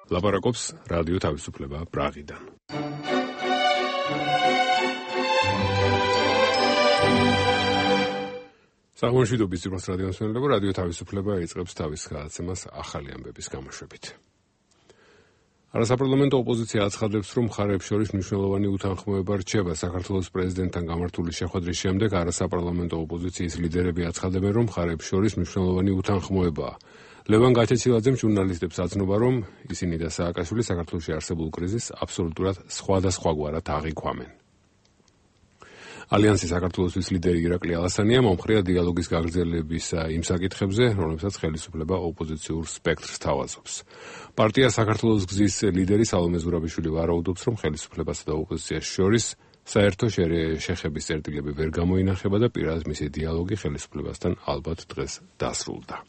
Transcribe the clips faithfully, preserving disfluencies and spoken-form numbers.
ლაპარაკობს რადიო თავისუფლება პრაღიდან. საღვაშიდობის ძირფას რადიოსმენელებო, რადიო თავისუფლება იწყებს თავის გადაცემას ახალი ამბების გამოშვებით. არასაპარლამენტო ოპოზიცია აცხადებს, რომ მხარეებს შორის მნიშვნელოვანი უთანხმოება რჩება საქართველოს პრეზიდენტთან გამართული შეხვედრის შემდეგ. არასაპარლამენტო ოპოზიციის ლიდერები აცხადებენ, რომ მხარეებს შორის მნიშვნელოვანი უთანხმოებაა. ლევან გაჩეცილაძემ ჟურნალისტებს აცნობა, რომ ისინი და სააკაშვილი საქართველოში არსებულ კრიზისს აბსოლუტურად სხვადასხვაგვარად აღიქვამენ. ალიანსის საქართველოსთვის ლიდერი ირაკლი ალასანია მომხრეა დიალოგის გაგრძელებისა იმ საკითხებზე, რომლებსაც ხელისუფლება ოპოზიციურ სპექტრს თავაზობს. პარტია საქართველოს გზის ლიდერი სალომე ზურაბიშვილი ვარაუდობს, რომ ხელისუფლებასა და ოპოზიციას შორის საერთო შეხების წერტილები ვერ გამოინახება და პირადად მისი დიალოგი ხელისუფლებასთან ალბათ დღეს დასრულდა.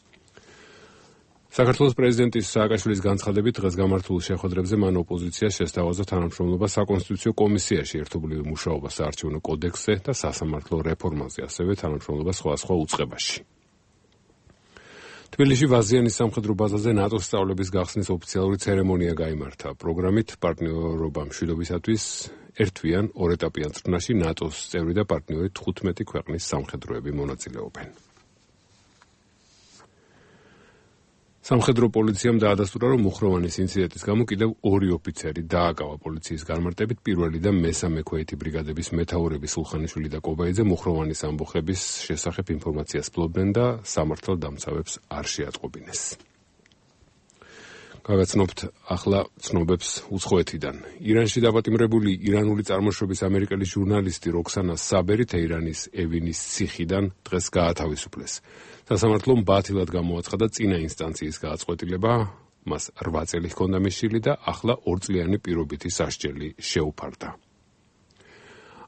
საქართველოს პრეზიდენტის სააკაშვილის განცხადებით დღეს გამართულ შეხვედრებზე მან ოპოზიციას შესთავაზა თანამშრომლობა საკონსტიტუციო კომისიაში, ერთობლივი მუშაობა საარჩევნო კოდექსზე და სასამართლო რეფორმაზე, ასევე თანამშრომლობა სხვადასხვა უწყებაში. თბილისში ვაზიანის სამხედრო ბაზაზე ნატოს სწავლების გახსნის ოფიციალური ცერემონია გაიმართა. პროგრამით პარტნიორობა მშვიდობისათვის ერთვიან ორეტაპიან წრფნაში ნატოს წევრი და პარტნიორი თხუთმეტი ქვეყნის სამხედროები მონაწილეობენ. სამხედრო პოლიციამ დაადასტურა, რომ მუხროვანის ინციდენტის გამო კიდევ ორი ოფიცერი დააკავა პოლიციის განმარტებით. პირველი და მესამე ქვეითი ბრიგადების მეთაურები სულხანიშვილი და კობაიძე მუხროვანის ამბოხების შესახებ ინფორმაციას ფლობდნენ და სამართალდამცავებს არ შეატყობინეს. გავაცნობთ ახლა ცნობებს უცხოეთიდან. ირანში დაპატიმრებული ირანული წარმოშობის ამერიკელი ჟურნალისტი როქსანა საბერი თეირანის ევილის ციხიდან დღეს გაათავისუფლეს. სასამართლომ ბათილად გამოაცხადა წინა ინსტანციის გააწყვეტილება, მას რვა წელი ჰქონდა მისული და ახლა ორწლიანი პირობითი სასჯელი შეუფარდა.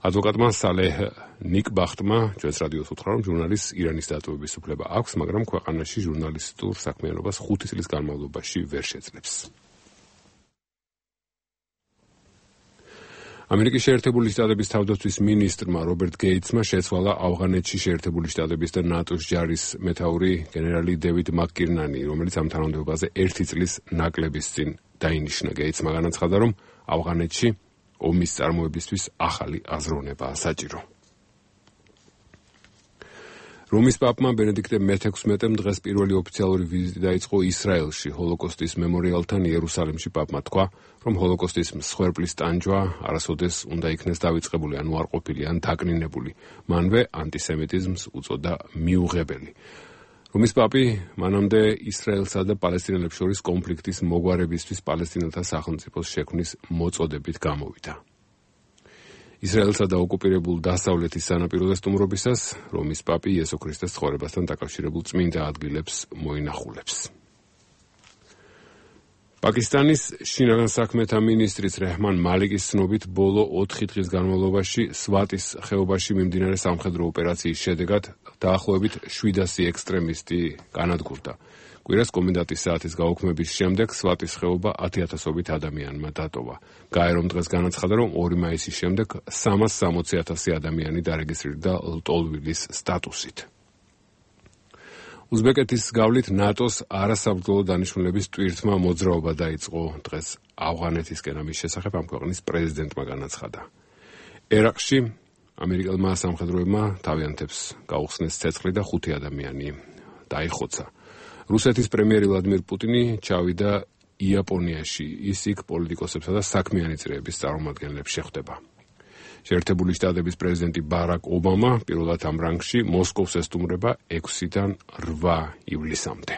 ადვოკატმა სალეჰ ნიკბახტმა ჩვენს რადიოს უთხრა, რომ ჟურნალისტს ირანის დატოვების უფლება აქვს, მაგრამ ქვეყანაში ჟურნალისტურ საქმიანობას ხუთი წლის განმავლობაში ვერ შეძლებს. ამერიკის შეერთებული შტატების თავდაცვის მინისტრმა რობერტ გეიტსმა შეცვალა ავღანეთში შეერთებული შტატების და ნატოს ჯარის მეთაური გენერალი დევიდ მაკკირნანი, რომელიც ამ თანამდებობაზე ერთი წლის ნაკლების წინ დაინიშნა. გეიტსმა განაცხადა, რომ ავღანეთში ომის წარმოებისთვის ახალი აზროვნებაა საჭირო. რომის პაპმა ბენედიქტე მეთექვსმეტემ დღეს პირველი ოფიციალური ვიზიტი დაიწყო ისრაელში, ჰოლოკოსტის მემორიალთან იერუსალიმში. პაპმა თქვა, რომ ჰოლოკოსტის მსხვერპლის ტანჯვა არასოდეს უნდა იქნეს დავიწყებული, ანუ არ ყოფილი, ან დაკნინებული. მანვე ანტისემიტიზმს უწოდა მიუღებელი. რომის პაპი მანამდე ისრაელსა და პალესტინელებს შორის კონფლიქტის მოგვარებისთვის პალესტინელთა სახელმწიფოს შექმნის მოწოდებით გამოვიდა. ისრაელსა და ოკუპირებულ დასავლეთის სანაპიროზე სტუმრობისას რომის პაპი იესო ქრისტეს ცხოვრებასთან დაკავშირებულ წმინდა ადგილებს მოინახულებს. პაკისტანის შინაგან საქმეთა მინისტრის რეჰმან მალიკის ცნობით, ბოლო ოთხი დღის განმავლობაში სვატის ხეობაში მიმდინარე სამხედრო ოპერაციის შედეგად დაახლოებით შვიდასი ექსტრემისტი განადგურდა. კვირას კომენდანტის საათის გაუქმების შემდეგ სვატის ხეობა ათიათასობით ადამიანმა დატოვა. გაერომ დღეს განაცხადა, რომ ორი მაისის შემდეგ სამას სამოცი ათასი ადამიანი დარეგისტრირდა ლტოლვილის სტატუსით. უზბეკეთის გავლით ნატოს არასაბრძოლო დანიშნულების ტვირთმა მოძრაობა დაიწყო. დღეს ავღანეთისკენ ამის შესახებ ამ ქვეყნის პრეზიდენტმა განაცხადა. ერაყში ამერიკელმა სამხედროებმა თავიანთებს გაუხსნეს ცეცხლი და ხუთი ადამიანი დაიხოცა. რუსეთის პრემიერი ვლადიმირ პუტინი ჩავიდა იაპონიაში. ის იქ პოლიტიკოსებსა და საქმიანი წრეების წარმომადგენლებს შეხვდება. შეერთებული შტატების პრეზიდენტი ბარაკ ობამა პირველად ამ რანგში მოსკოვს ესტუმრება ექვსიდან რვა ივლისამდე.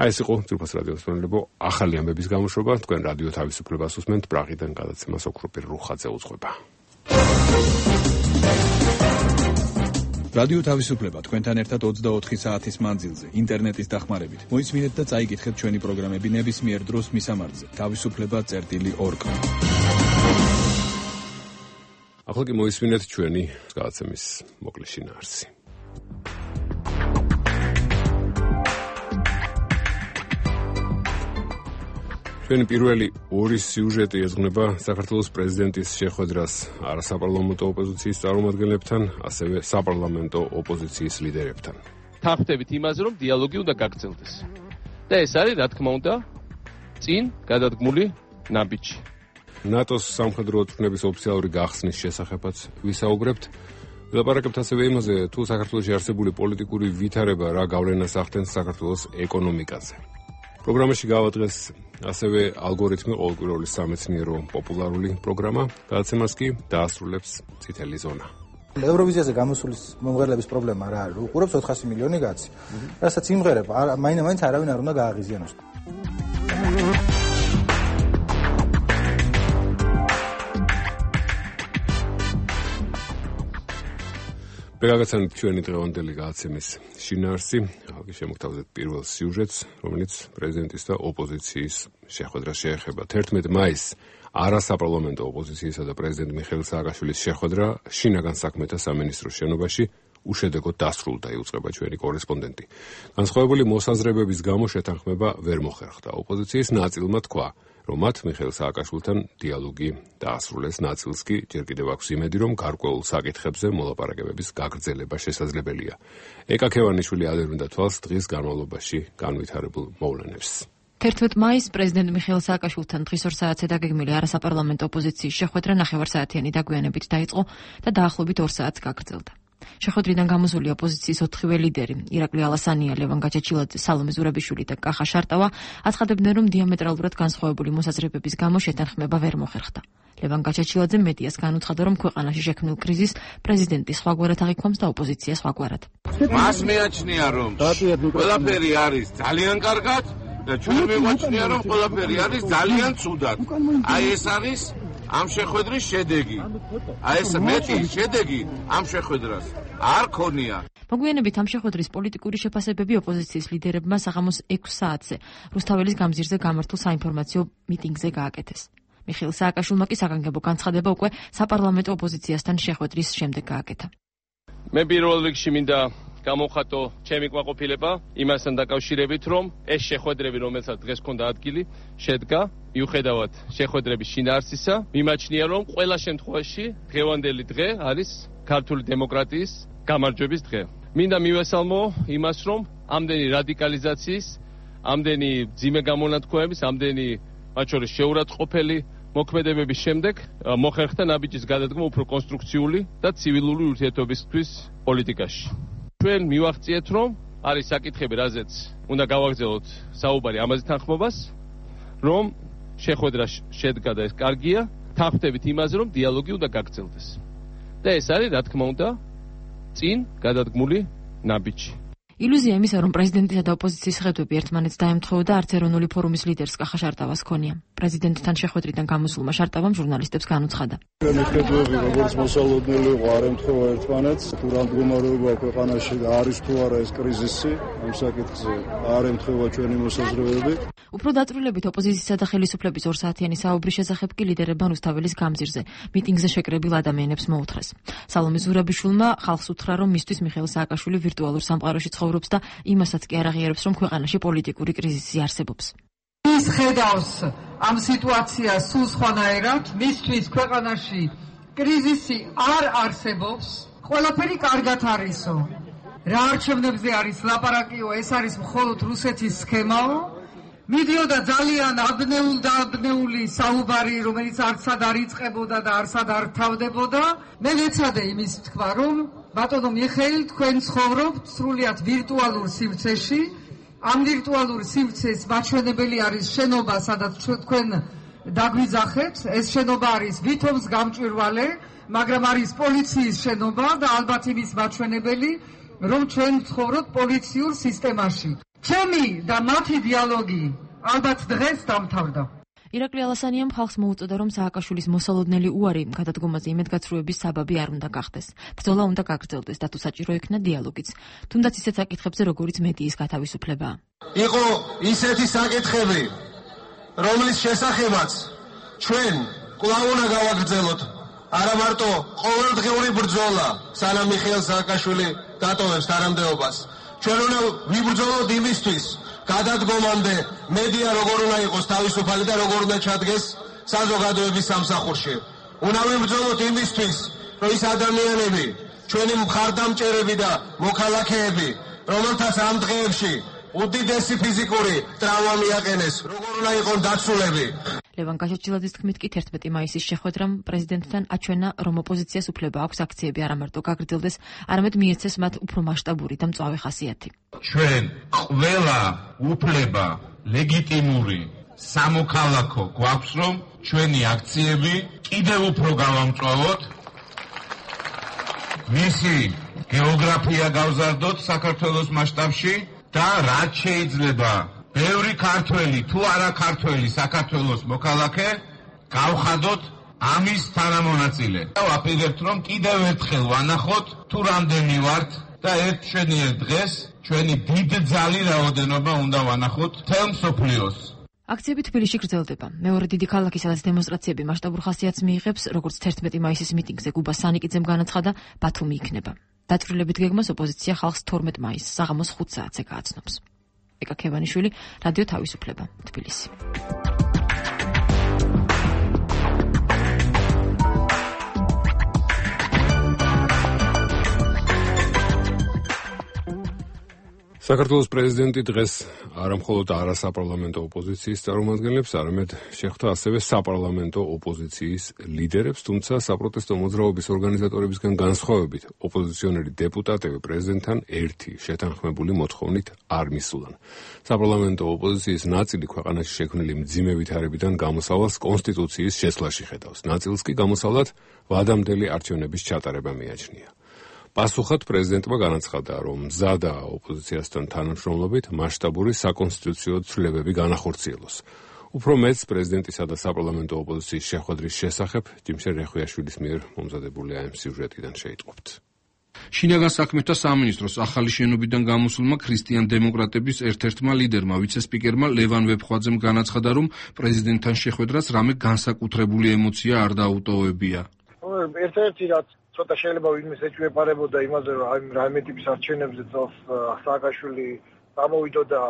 აი ეს იყო ძირფას რადიოს მსმენელებო ახალი ამბების გამოშვება. თქვენ რადიო თავისუფლებას უსმენთ, პრაღიდან გადაცემას ოქროპირ რუხაძე უძღვება. რადიო თავისუფლება თქვენთან ერთად ოცდაოთხი საათის მანძილზე ინტერნეტის დახმარებით. მოისმინეთ და წაიკითხეთ ჩვენი პროგრამები ნებისმიერ დროს მისამართზე თავისუფლება წერტილი ორგ. ახლა კი მოისმინეთ ჩვენი გადაცემის მოკლე შინაარსი. ჩვენი პირველი ორი სიუჟეტი ეძღვნება საქართველოს პრეზიდენტის შეხვედრას არასაპარლამენტო ოპოზიციის წარმომადგენლებთან, ასევე საპარლამენტო ოპოზიციის ლიდერებთან. თანხმდებით იმაზე, რომ დიალოგი უნდა გაგრძელდეს. და ეს არის, რა თქმა უნდა, წინ გადადგმული ნაბიჯი. ნატოს სამხედრო ოცნების ოფიციალური გახსნის შესახებაც ვისაუბრებთ. ვილაპარაკებთ ასევე იმაზე, თუ საქართველოში არსებული პოლიტიკური ვითარება რა გავლენას ახდენს საქართველოს ეკონომიკაზე. პროგრამაში გავადრეს ასევე ალგორითმი ყოველკვირეული სამეცნიერო პოპულარული პროგრამა, გადაცემას კი დაასრულებს წითელი ზონა. ევროვიზიაზე გამოსულის მომღერლების პრობლემა რა არის? უყურებს ოთხასი მილიონი კაცი. რასაც იმღერება, მაინც არავინ არ უნდა გააღიზიანოს. Პერაგაცანით ჩვენი დღევანდელი გადაცემის შინაარსი, ხალხი შემოგთავაზეთ პირველ სიუჟეტს, რომელიც პრეზიდენტის და ოპოზიციის შეხვედრას შეეხება. თერთმეტი მაისს არასაპარლამენტო ოპოზიციისა და პრეზიდენტ მიხეილ სააკაშვილის შეხვედრა შინაგან საქმეთა სამინისტროს შენობაში უშედეგოდ დასრულდა, იუწყება ჩვენი კორესპონდენტი. განსხვავებული მოსაზრებების გამო შეთანხმება ვერ მოხერხდა. ოპოზიციის ნაწილმა თქვა, რომ მათ მიხეილ სააკაშვილთან დიალოგი დაასრულეს, ნაწილს კი ჯერ კიდევ აქვს იმედი, რომ გარკვეულ საკითხებზე მოლაპარაკებების გაგრძელება შესაძლებელია. ეკა ქევანიშვილი ადევნდა თვალს დღის განმავლობაში განვითარებულ მოვლენებს. თერთმეტი მაისს პრეზიდენტ მიხეილ სააკაშვილთან დღის ორ საათზე დაგეგმილი არასაპარლამენტო ოპოზიციის შეხვედრა ნახევარსაათიანი დაგვიანებით დაიწყო და დაახლოებით ორ საათს გაგრძელდა. შეხვედრიდან გამოსული ოპოზიციის ოთხივე ლიდერი, ირაკლი ალასანია, ლევან გაჩაჩილაძე, სალომე ზურაბიშვილი და კახა შარტავა აცხადებდნენ, რომ დიამეტრალურად განსხვავებული მოსაზრებების გამო შეთანხმება ვერ მოხერხდა. ლევან გაჩაჩილაძე მედიას განუცხადა, რომ ქვეყანაში შექმნილ კრიზისს პრეზიდენტი სხვაგვარად აღიქვამს და ოპოზიცია სხვაგვარად. მას მეაჩნია, რომ ყველაფერი არის ძალიან კარგად და ჩვენ მეაჩნია, რომ ყველაფერი არის ძალიან ცუდად. აი ეს არის ამ შეხვედრის შედეგი. აი ეს მეტი შედეგი ამ შეხვედრას არ ქონია. მოგვიანებით ამ შეხვედრის პოლიტიკური შეფასებები ოპოზიციის ლიდერებმა საღამოს ექვს საათზე რუსთაველის გამზირზე გამართულ საინფორმაციო მიტინგზე გააკეთეს. მიხეილ სააკაშვილმა კი საგანგებო განცხადება უკვე საპარლამენტო ოპოზიციასთან შეხვედრის შემდეგ გააკეთა. მე პირველ რიგში მინდა გამოვხატო ჩემი კმაყოფილება იმასთან დაკავშირებით, რომ ეს შეხვედრები, რომელსაც დღეს ქონდა ადგილი, შედგა მიუხედავად შეხვედრების შინაარსისა, მიმაჩნია, რომ ყველა შემთხვევაში დღევანდელი დღე არის ქართული დემოკრატიის გამარჯვების დღე. მინდა მივესალმო იმას, რომ ამდენი რადიკალიზაციის, ამდენი ძიმე გამონათქვამების, ამდენი მათ შორის შეურაცხყოფელი მოქმედებების შემდეგ მოხერხდა ნაბიჯის გადადგმა უფრო კონსტრუქციული და ცივილური ურთიერთობისთვის პოლიტიკაში. ჩვენ მივახციეთ, რომ არის საკითხები, რაზეც უნდა გავაგრძელოთ საუბარი ამაზე თანხმობას, რომ შეხვედრა შედგა და ეს კარგია, თანხმდებით იმაზე, რომ დიალოგი უნდა გაგრძელდეს. და ეს არის, რა თქმა უნდა, წინ გადადგმული ნაბიჯი. ილუზია იმისა, რომ პრეზიდენტისა და ოპოზიციის ხედვები ერთმანეთს დაემთხოვდა, არც ეროვნული ფორუმის ლიდერს კახა შარტავას ჰქონია. პრეზიდენტთან შეხვედრიდან გამოსულმა შარტავამ ჟურნალისტებს განუცხადა. ჩვენი ხედვები, როგორც მოსალოდნელი იყო, არ ემთხოვა ერთმანეთს. თუ რა მდგომარეობა ქვეყანაში არის თუ არა ეს კრიზისი, ამ საკითხზე არ ემთხოვა ჩვენი მოსაზრებები. უფრო დაწვრილებით ოპოზიციისა და ხელისუფლების ორ საათიანი საუბრის შესახებ კი ლიდერებმა რუსთაველის გამზირზე მიტინგზე შეკრებილ ადამიანებს მოუთხრეს. სალომე ზურაბიშვილმა ხალხს უთხრა, რომ მისთვის მიხეილ სააკაშვილი ვირტუალურ სამყაროში ცხოვრობს და იმასაც კი არ აღიარებს, რომ ქვეყანაში პოლიტიკური კრიზისი არსებობს. ის ხედავს ამ სიტუაციას სულ სხვანაირად, მისთვის ქვეყანაში კრიზისი არ არსებობს, ყველაფერი კარგად არისო. რა არჩევნებზე არის ლაპარაკიო, ეს არის მხოლოდ რუსეთის სქემაო. მიდიოდა ძალიან აბნეულ და აბნეული საუბარი, რომელიც არცად არ იწყებოდა და არცად არ თავდებოდა. მე ვეცადე იმის თქვა, რომ ბატონო მიხეილ, თქვენ ცხოვრობთ სრულიად ვირტუალურ სივრცეში. ამ ვირტუალურ სივრცეს მაჩვენებელი არის შენობა, სადაც თქვენ დაგვიძახეთ. ეს შენობა არის ვითომს გამჭვირვალე, მაგრამ არის პოლიციის შენობა და ალბათ იმის მაჩვენებელი, რომ ჩვენ ცხოვრობთ პოლიციურ სისტემაში. ჩემი და მათი დიალოგი ალბათ დღეს დამთავრდა. ირაკლი ალასანიამ ხალხს მოუწოდა, რომ სააკაშვილის მოსალოდნელი უარი გადადგომაზე იმედგაცრუების საბაბი არ უნდა გახდეს. ბრძოლა უნდა გაგრძელდეს და თუ საჭირო იქნა დიალოგიც. თუნდაც ისეთ საკითხებზე, როგორიც მედიის გათავისუფლება. იყო ისეთი საკითხები, რომლის შესახებაც ჩვენ კვლავ უნდა გავაგრძელოთ. არა მარტო ყოველდღიური ბრძოლა, სანამ მიხეილ სააკაშვილი დატოვებს თანამდებობას. ჩვენ უნდა ვიბრძოლოთ იმისთვის, გადადგომამდე მედია როგორ უნდა იყოს თავისუფალი და როგორ უნდა ჩადგეს საზოგადოების სამსახურში. უნდა ვიბრძოლოთ იმისთვის, რომ ის ადამიანები, ჩვენი მხარდამჭერები და მოქალაქეები, რომელთაც ამ დღეებში უდიდესი ფიზიკური ტრავმა მიაყენეს, როგორ უნდა იყოს დაცულები. ლევან გაჩოჩილაძის თქმით კი თერთმეტი მაისის შეხვედრამ პრეზიდენტთან აჩვენა, რომ ოპოზიციას უფლება აქვს აქციები არა მარტო გაგრძელდეს, არამედ მიეცეს მათ უფრო მასშტაბური და მწვავე ხასიათი. ჩვენ ყველა უფლება ლეგიტიმური სამოქალაქო გვაქვს, რომ ჩვენი აქციები კიდევ უფრო გავამწვავოთ, მისი გეოგრაფია გავზარდოთ საქართველოს მასშტაბში და რაც შეიძლება ბევრი ქართველი თუ არა ქართველი საქართველოს მოქალაქე გავხადოთ ამის თანამონაწილე. ვაპირებთ, რომ კიდევ ერთხელ ვანახოთ თუ რამდენი ვართ და ერთ შენიერ დღეს ჩვენი დიდ ძალი რაოდენობა უნდა ვანახოთ მთელ მსოფლიოს. აქციები თბილისში გრძელდება. მეორე დიდი ქალაქი, სადაც დემონსტრაციები მასშტაბურ ხასიათს მიიღებს, როგორც თერთმეტი მაისის მიტინგზე გუბა სანიკიძემ განაცხადა, ბათუმი იქნება. დაწვრილებით გეგმას ოპოზიცია ხალხს თორმეტ მაისს საღამოს ხუთ საათზე გააცნობს. ეკა ქევანიშვილი, რადიო თავისუფლება, თბილისი. საქართველოს პრეზიდენტი დღეს არა მხოლოდ არასაპარლამენტო ოპოზიციის წარმომადგენლებს, არამედ შეხვდა ასევე საპარლამენტო ოპოზიციის ლიდერებს, თუმცა საპროტესტო მოძრაობის ორგანიზატორებისგან განსხვავებით, ოპოზიციონერი დეპუტატები პრეზიდენტთან ერთი შეთანხმებული მოთხოვნით არ მისულან. საპარლამენტო ოპოზიციის ნაწილი ქვეყანაში შექმნილი მძიმე ვითარებიდან გამოსავალს კონსტიტუციის შეცვლაში ხედავს. ნაწილს კი გამოსავლად ვადამდელი არჩევნების ჩატარება მიაჩნია. პასუხად პრეზიდენტმა განაცხადა, რომ მზადა ოპოზიციასთან თანამშრომლობით მასშტაბური საკონსტიტუციო ცვლილებები განახორციელოს. უფრო მეც პრეზიდენტისა და საპარლამენტო ოპოზიციის შეხვედრის შესახებ ჯიმშერ რეხვიაშვილის მიერ მომზადებული ამ სიუჟეტიდან შეიტყობთ. შინაგან საქმეთა სამინისტროს ახალი შენობიდან გამოსულმა ქრისტიან დემოკრატების ერთ-ერთმა ლიდერმა, ვიცე-სპიკერმა ლევან ვეფხვაძემ განაცხადა, რომ პრეზიდენტთან შეხვედრას რამე განსაკუთრებული ემოცია არ დაუტოვებია. ერთ-ერთი რაც ცოტა შეიძლება ვინმეს ეჭვეპარებოდა იმაზე, რომ აი რაიმე ტიპის არჩევნებზე წელს სააკაშვილი გამოვიდოდა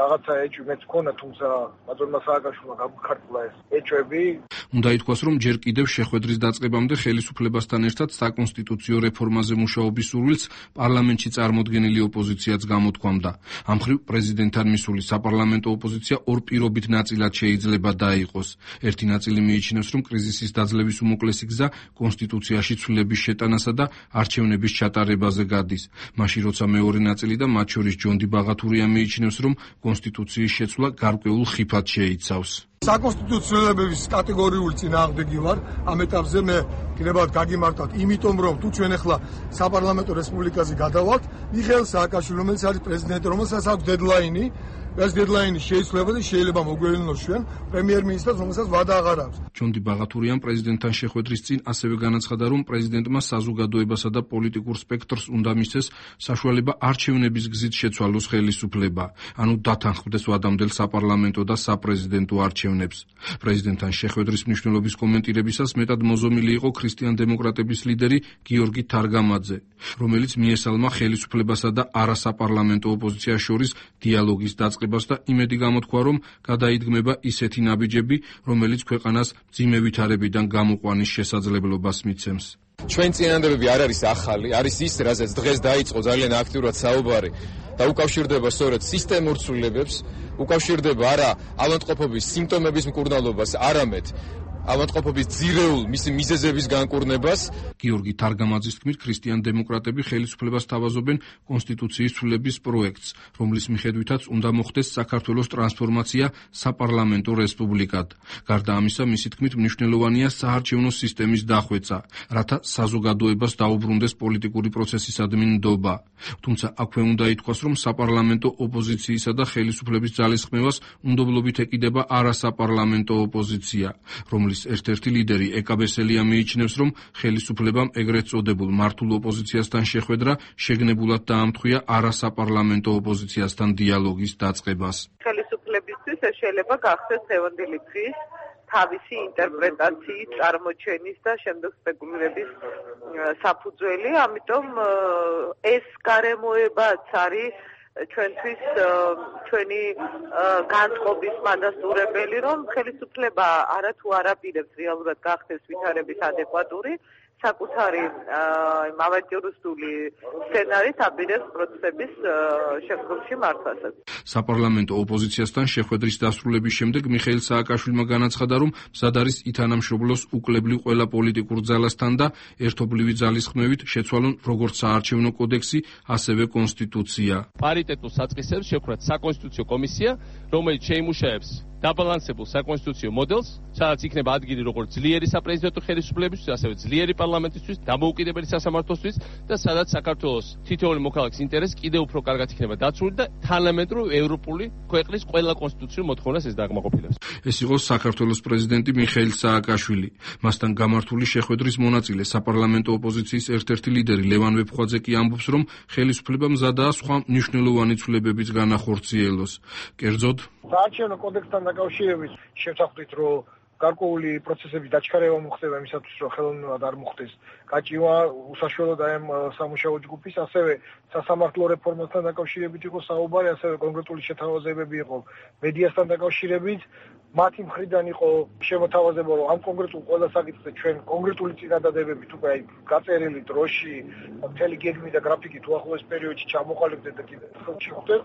რაღაცა ეჭვი მეც მქონდა, თუმცა ბატონმა სააკაშვილმა გამქართლა ეს ეჭვები. უნდა ითქვას, რომ ჯერ კიდევ შეხვედრის დაწყებამდე ხელისუფლებასთან ერთად საკონსტიტუციო რეფორმაზე მუშაობის სურვილს პარლამენტში წარმოდგენილი ოპოზიციაც გამოთქვამდა. ამ მხრივ პრეზიდენტთან მისული საპარლამენტო ოპოზიცია ორ პირობით ნაწილად შეიძლება დაიყოს. ერთი ნაწილი მიიჩნევს, რომ კრიზისის დაძლევის უმოკლესი გზა კონსტიტუციაში ცვლილების შეტანასა და არჩევნების ჩატარებაზე გადის. მაშინ როცა მეორე ნაწილი და მათ შორის ჯონდი ბაღათურია მიიჩნევს, რომ კონსტიტუციის შეცვლა გარკვეულ ხიფად შეიცავს. საკონსტიტუციოების კატეგორიული წინააღმდეგი ვარ. ამ ეტაპზე მე გნებავთ გაგიმართოთ, იმიტომ რომ თუ ჩვენ ახლა საპარლამენტო რესპუბლიკაზე გადავალთ, მიხეილ სააკაშვილი, რომელიც არის პრეზიდენტი, რომელსაც აქვს დედლაინი, ეს დედლაინი შეიძლება და შეიძლება მოგვევლინოს ჩვენ პრემიერ-მინისტრს, რომელსაც ვადა აღარ აქვს. ჯონდი ბაღათურიამ პრეზიდენტთან შეხვედრის წინ ასევე განაცხადა, რომ პრეზიდენტმა საზოგადოებასა და პოლიტიკურ სპექტრს უნდა მისცეს საშუალება არჩევნების გზით შეცვალოს ხელისუფლება, ანუ დათანხმდეს ვადამდელ საპარლამენტო და საპრეზიდენტო არჩევნებს. პრეზიდენტთან შეხვედრის მნიშვნელობის კომენტირებისას მეტად მოზომილი იყო ქრისტიან დემოკრატების ლიდერი გიორგი თარგამაძე, რომელიც მიესალმა ხელისუფლებასა და არასაპარლამენტო ოპოზიციას შორის დიალოგის დაწყებას და იმედი გამოთქვა, რომ გადაიდგმება ისეთი ნაბიჯები, რომელიც ქვეყანას მძიმე ვითარებიდან გამოყვანის შესაძლებლობას მიცემს. ჩვენ წინადადებები არ არის ახალი, არის ის, რაზეც დღეს დაიწყო ძალიან აქტიურად საუბარი და უკავშირდება სწორედ სისტემურ ცვლილებებს, უკავშირდება არა ავადმყოფობის სიმპტომების მკურნალობას, არამედ ავადმყოფობის ძირეულ მისი მიზეზების განკურნებას. გიორგი თარგამაძის თქმით, ქრისტიან დემოკრატები ხელისუფლებას თავაზობენ კონსტიტუციის ცვლილების პროექტს, რომლის მიხედვითაც უნდა მოხდეს საქართველოს ტრანსფორმაცია საპარლამენტო რესპუბლიკად. გარდა ამისა, მისი თქმით, მნიშვნელოვანია საარჩევნო სისტემის დახვეწა, რათა საზოგადოებას დაუბრუნდეს პოლიტიკური პროცესისადმი ნდობა. თუმცა აქვე უნდა ითქვას, რომ საპარლამენტო ოპოზიციისა და ხელისუფლების ძალისხმევას უნდობლობით ეკიდება არასაპარლამენტო ოპოზიცია, რომლის ერთ-ერთი ლიდერი ეკა ბესელია მიიჩნევს, რომ ხელისუფლებამ ეგრეთ წოდებულ მართულ ოპოზიციასთან შეხვედრა შეგნებულად დაამთხვია არასაპარლამენტო ოპოზიციასთან დიალოგის დაწყებას. ხელისუფლებისთვის ეს შეიძლება გახდეს დღევანდელი დღის თავისი ინტერპრეტაციის, წარმოჩენის და შემდეგ სპეკულირების საფუძველი, ამიტომ ეს გარემოებაც არის ჩვენთვის ჩვენი განწყობის მადასტურებელი, რომ ხელისუფლება არა თუ არ აპირებს რეალურად გახდეს ვითარების ადეკვატური, საკუთარი ავანტიურისტული სცენარით აპირებს პროცესების შემდგომში მართვასაც. საპარლამენტო ოპოზიციასთან შეხვედრის დასრულების შემდეგ მიხეილ სააკაშვილმა განაცხადა, რომ მზად არის ითანამშრომლოს უკლებლივ ყველა პოლიტიკურ ძალასთან და ერთობლივი ძალისხმევით შეცვალონ როგორც საარჩევნო კოდექსი, ასევე კონსტიტუცია. პარიტეტულ საწყისებს შევქმნათ საკონსტიტუციო კომისია, რომელიც შეიმუშაებს დაბალანსებულ საკონსტიტუციო მოდელს, სადაც იქნება ადგილი როგორც ძლიერი საპრეზიდენტო ხელისუფლებისთვის, ასევე ძლიერი პარლამენტისთვის, დამოუკიდებელი სასამართლოსთვის და სადაც საქართველოს თითოეული მოქალაქის ინტერესი კიდევ უფრო კარგად იქნება დაცული და თანამედროვე ევროპული ქვეყნის ყველა კონსტიტუციურ მოთხოვნას ეს დაკმაყოფილებს. ეს იყო საქართველოს პრეზიდენტი მიხეილ სააკაშვილი. მასთან გამართული შეხვედრის მონაწილე საპარლამენტო ოპოზიციის ერთ-ერთი ლიდერი ლევან ვეფხვაძე კი ამბობს, რომ ხელისუფლება მზადაა სხვა მნიშვნელოვანი ცვლილებების განახორციელოს. კერძოდ, საარჩევნო კოდექსთან დაკავშირებით შევთანხმდით, რომ გარკვეული პროცესების დაჩქარება მოხდება იმისათვის, რომ ხელოვნურად არ მოხდეს გაჭირვა უსაშველოდ აი ამ სამუშაო ჯგუფის, ასევე სასამართლო რეფორმასთან დაკავშირებით იყო საუბარი, ასევე კონკრეტული შეთავაზებები იყო მედიასთან დაკავშირებით. მათი მხრიდან იყო შემოთავაზება, რომ ამ კონკრეტულ ყველა საკითხზე ჩვენ კონკრეტული წინადადებებით უკვე აი გაწერილი დროში, მთელი გეგმით და გრაფიკით უახლოეს პერიოდში ჩამოყალიბდეთ და კიდევ ხელში ხვდეთ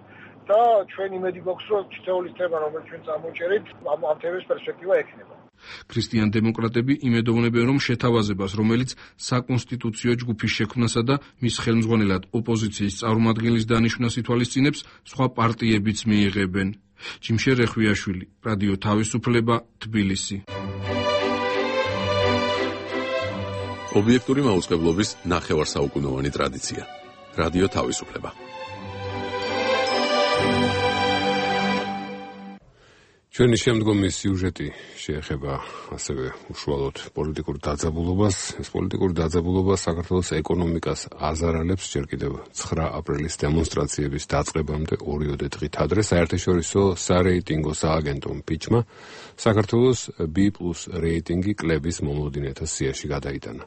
და ჩვენ იმედი გვაქვს, რომ ჩრდილოეთის თემა, რომელიც ჩვენ წამოვჭერით, ამ ამ თემის პერსპექტივა ექნება. ქრისტიან დემოკრატები იმედოვნებენ, რომ შეთავაზებას, რომელიც საკონსტიტუციო ჯგუფის შექმნასა და მის ხელმძღვანელად ოპოზიციის წარმომადგენლის დანიშვნას ითვალისწინებს, სხვა პარტიებიც მიიღებენ. ჯიმშერ რეხვიაშვილი, რადიო თავისუფლება, თბილისი. ობიექტური მაუწყებლობის ნახევარსაუკუნოვანი ტრადიცია. რადიო თავისუფლება. ჩვენი შემდგომი სიუჟეტი შეეხება ასევე უშუალოდ პოლიტიკურ დაძაბულობას. ეს პოლიტიკური დაძაბულობა საქართველოს ეკონომიკას აზარალებს ჯერ კიდევ ცხრა აპრილის დემონსტრაციების დაწყებამდე ორიოდე დღით ადრე. საერთაშორისო სარეიტინგო სააგენტომ ფიჩმა საქართველოს B პლუს რეიტინგი კლების მომოდინეთა სიაში გადაიტანა.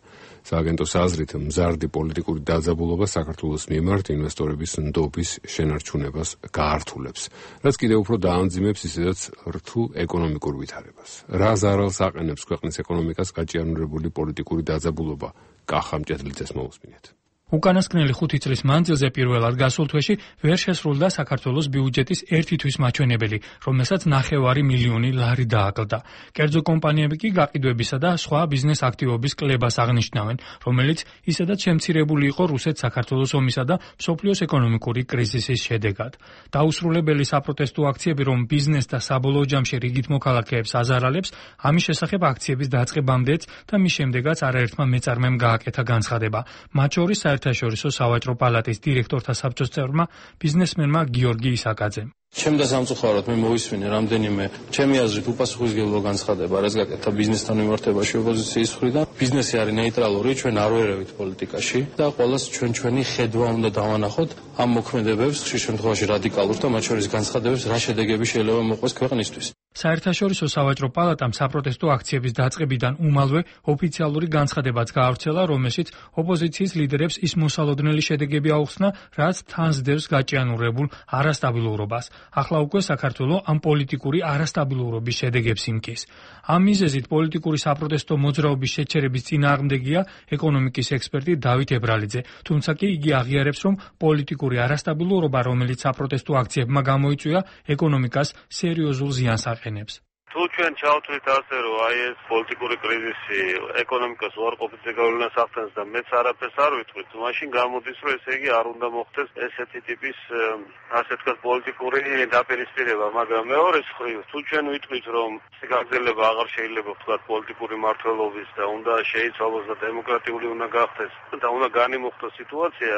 სააგენტოს აზრით, მზარდი პოლიტიკური დაძაბულობა საქართველოს მიმართ ინვესტორების ნდობის შენარჩუნებას გაართულებს, რაც კიდევ უფრო დაამძიმებს ისედაც რთულ ეკონომიკურ ვითარებას. რა ზარალს აყენებს ქვეყნის ეკონომიკას გაჭიანურებული პოლიტიკური დაძაბულობა? კახა მჭედლიძეს მოусმინეთ. უკანასკნელი ხუთი წლის მანძილზე პირველად გასულ თვეში ვერ შესრულდა საქართველოს ბიუჯეტის ერთი თვის მაჩვენებელი, რომელსაც ნახევარი მილიონი ლარი დააკლდა. კერძო კომპანიები კი გაყიდვებისა და სხვა ბიზნეს აქტივობის კლებას აღნიშნავენ, რომელიც ისედაც შემცირებული იყო რუსეთ-საქართველოს ომისა და მსოფლიოს ეკონომიკური კრიზისის შედეგად. დაუსრულებელი საპროტესტო აქციები, რომ ბიზნეს და საბოლოო ჯამში რიგით მოქალაქეებს აზარალებს, ამის შესახებ აქციების დაწყებამდეც და მის შემდეგაც არაერთმა მეწარმემ გააკეთა განცხადება. მათ შორის საერთაშორისო სავაჭრო პალატის დირექტორთა საბჭოს წევრმა ბიზნესმენმა გიორგი ისაკაძემ. ჩემ და სამწუხაროდ მე მოვისმინე რამდენიმე ჩემი აზრით უპასუხისმგებლო განცხადება, რაც გაკეთა ბიზნესთან მიმართებაში ოპოზიციის მხრიდან. ბიზნესი არის ნეიტრალური, ჩვენ არ ვერევით პოლიტიკაში და ყველას ჩვენ ჩვენი ხედვა უნდა დავანახოთ ამ მოქმედებებს, ხშირ შემთხვევაში რადიკალურ და მათ შორის განცხადებებს, რა შედეგები შეიძლება მოყვეს ქვეყნისთვის. საერთაშორისო სავაჭრო პალატამ საპროტესტო აქციების დაწყებიდან უმალვე ოფიციალური განცხადებაც გაავრცელა, რომელშიც ოპოზიციის ლიდერებს ის მოსალოდნელი შედეგები აუხსნა, რაც თანსდევს გაჭიანურებულ არასტაბილურობას. ახლა უკვე საქართველოს ამ პოლიტიკური არასტაბილურობის შედეგებს იმკის. ამ მიზეზით პოლიტიკური საპროტესტო მოძრაობის შეჩერების წინააღმდეგია ეკონომიკის ექსპერტი დავით ებრალიძე, თუმცა კი იგი აღიარებს, რომ პოლიტიკური არასტაბილურობა, რომელიც საპროტესტო აქციებმა გამოიწვია, ეკონომიკას სერიოზულ ზიანს აყენებს. თუ ჩვენ ჩავთვლით ასე, რომ აი ეს პოლიტიკური კრიზისი ეკონომიკას უარყოფითზე გავლენას ახდენს და მეც არაფერს არ ვიტყვით, მაშინ გამოდის, რომ ესე იგი არ უნდა მოხდეს ესეთი ტიპის ასე ვთქვათ პოლიტიკური დაპირისპირება, მაგრამ მეორე მხრივ, თუ ჩვენ ვიტყვით, რომ გაგრძელება აღარ შეიძლება ვთქვათ პოლიტიკური მმართველობის და უნდა შეიცვალოს და დემოკრატიული უნდა გახდეს და უნდა განიმუხტოს სიტუაცია,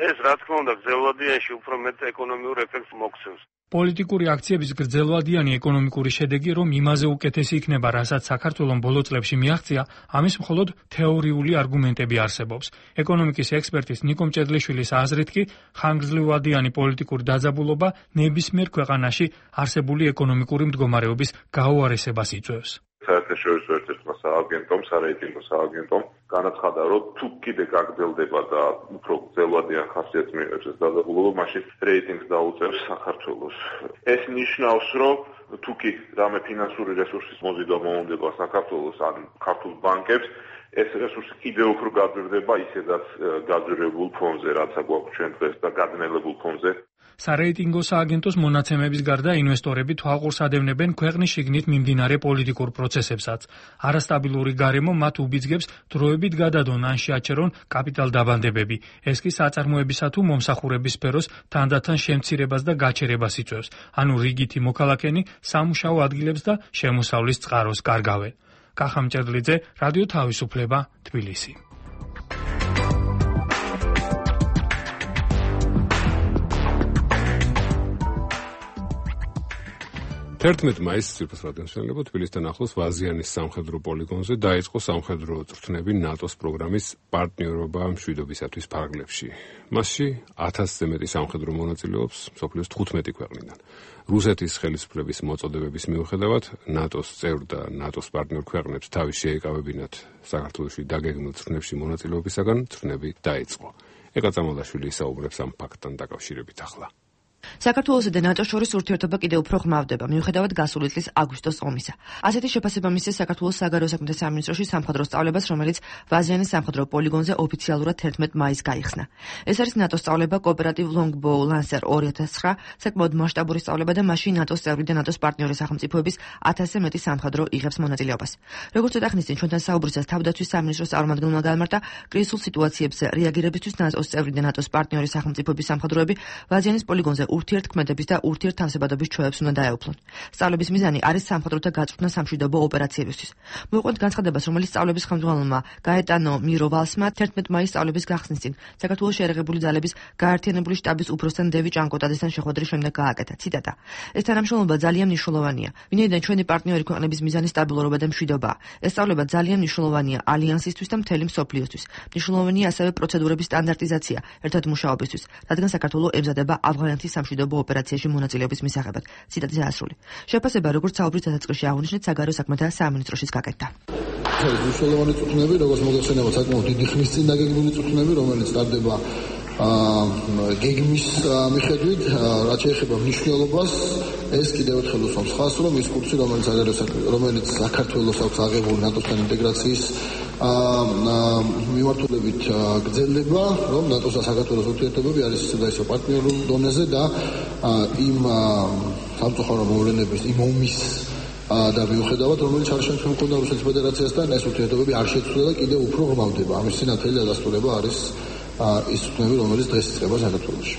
ეს რა თქმა უნდა გრძელვადიანში უფრო მეტ ეკონომიურ ეფექტს მოგცემს. პოლიტიკური აქციების გრძელვადიანი ეკონომიკური შედეგი, რომ იმაზე უკეთესი იქნება, რასაც საქართველოს ბოლო წლებში მიაღწია, ამის მხოლოდ თეორიული არგუმენტები არსებობს. ეკონომიკის ექსპერტის ნიკო მჭედლიშვილის აზრით კი, ხანგრძლივადიანი პოლიტიკური დაძაბულობა ნებისმიერ ქვეყანაში არსებული ეკონომიკური მდგომარეობის გაუარესებას იწვევს. საერთაშორისო ერთ-ერთმა სააგენტომ, სარეიტინგო სააგენტომ განაცხადა, რომ თუ კიდე გაგრძელდება და უფრო გრძელვადიან ხასიათს მიიღებს ეს დაძაბულობა, მაშინ რეიტინგს დაუწევს საქართველოს. ეს ნიშნავს, რომ თუ კი რამე ფინანსური რესურსის მოზიდვა მოუნდება საქართველოს ან ქართულ ბანკებს, ეს რესურსი კიდევ უფრო გაძვირდება ისედაც გაძვირებულ ფონზე, რაც აგვაქვს ჩვენ დღეს და გადნელებულ ფონზე. სარეიტინგო სააგენტოს მონაცემების გარდა ინვესტორები თვალყურს ადევნებენ ქვეყნის შიგნით მიმდინარე პოლიტიკურ პროცესებსაც. არასტაბილური გარემო მათ უბიძგებს დროებით გადადონ ან შეაჩერონ კაპიტალ დაბანდებები. ეს კი საწარმოებისა თუ მომსახურების სფეროს თანდათან შემცირებას და გაჩერებას იწვევს. ანუ რიგითი მოქალაქენი სამუშაო ადგილებს და შემოსავლის წყაროს კარგავენ. კახა მჭედლიძე, რადიო თავისუფლება, თბილისი. თერთმეტ მაისს ძირფას რადიოსმენელებო თბილისთან ახლოს ვაზიანის სამხედრო პოლიგონზე დაიწყო სამხედრო წვრთნები ნატოს პროგრამის პარტნიორობა მშვიდობისათვის ფარგლებში. მასში ათასზე მეტი სამხედრო მონაწილეობს მსოფლიოს თხუთმეტი ქვეყნიდან. რუსეთის ხელისუფლების მოწოდებების მიუხედავად ნატოს წევრ და ნატოს პარტნიორ ქვეყნებს თავი შეეკავებინათ საქართველოში დაგეგმილ წვრთნებში მონაწილეობისაგან წვრთნები დაიწყო. ეკა წამალაშვილი ისაუბრებს ამ ფაქტთან დაკავშირებით ახლა. საქართველოსა და ნატოს შორის ურთიერთობა კიდევ უფრო ღრმავდება, მიუხედავად გასული წლის აგვისტოს ომისა. ასეთი შეფასება მისცეს საქართველოს საგარეო საქმეთა სამინისტროში სამხედრო სწავლებას, რომელიც ვაზიანის სამხედრო პოლიგონზე ოფიციალურად თერთმეტ მაისს გაიხსნა. ეს არის ნატოს სწავლება კოოპერატივ Longbow Lancer ორი ათას ცხრა, საკმაოდ მასშტაბური სწავლება და მასში ნატოს წევრი და ნატოს პარტნიორი სახელმწიფოების ათასზე მეტი სამხედრო იღებს მონაწილეობას. როგორც ცოტა ხნის წინ ჩვენთან საუბრისას თავდაცვის სამინისტროს წარმომადგენელმა გამართა, კრიზისულ სიტუაციებზე რეაგირებისთვის ნატოს წევრი და ნატოს პარტნიორი სახელმწიფოების სამხედროები ვაზიანის პოლიგონზე ურთიერთქმედების და ურთიერთთავსებადობის ჩვევებს უნდა დაეუფლონ. სწავლების მიზანი არის სამხედროთა გაწვრთნა სამშვიდობო ოპერაციებისთვის. მოიყვანთ განცხადებას, რომელიც სწავლების ხელმძღვანელმა გაეტანო მიროვალსმა თერთმეტ მაისს სწავლების გახსნის წინ საქართველოს შეერაღებული ძალების გაერთიანებული შტაბის უფროსთან დევი ჭანკოტაძესთან შეხვედრის შემდეგ გააკეთა. ციტატა: ეს თანამშრომლობა ძალიან მნიშვნელოვანია, ვინაიდან ჩვენი პარტნიორი ქვეყნების მიზანი სტაბილურობა და მშვიდობაა. ეს სწავლება ძალიან მნიშვნელოვანია ალიანსისთვის და მთელი მსოფლიოსთვის. მნიშვნელოვანია ასევე პროცედურების სტანდარტიზაცია ერთად მუშაობისთვის, რადგან საქართველოს ემზადება ავღანეთის სამშვიდობო ოპერაციაში მონაწილეობის მისაღებად. ციტატის ასრული. შეფასება, როგორც საუბრის დასაწყისში აღნიშნეთ, საგარეო საქმეთა სამინისტროშიც გაკეთდა. მნიშვნელოვანი წვრთნები, როგორც მოგეხსენებათ, საკმაოდ დიდი ხნის წინ დაგეგმილი წვრთნები, რომელიც ტარდება გეგმის მიხედვით, რაც შეეხება მნიშვნელობას, ეს კიდევ ერთხელ უსვამს ხაზს, რომ ის კურსი, რომელიც საგარეო საქმეთა, რომელიც საქართველოს აქვს აღებული ნატოსთან ინტეგრაციის მიმართულებით გრძელდება, რომ ნატოს და საქართველოს ურთიერთობები არის ისე და ისე პარტნიორულ დონეზე და იმ სამწუხარო მოვლენების, იმ ომის და მიუხედავად, რომელიც არის შემდგომ მქონდა რუსეთის ფედერაციასთან, ეს ურთიერთობები არ შეცვლა და კიდევ უფრო ღრმავდება. ამის სინათელი დადასტურება არის ის წვრთნები, რომელიც დღეს იწყება საქართველოში.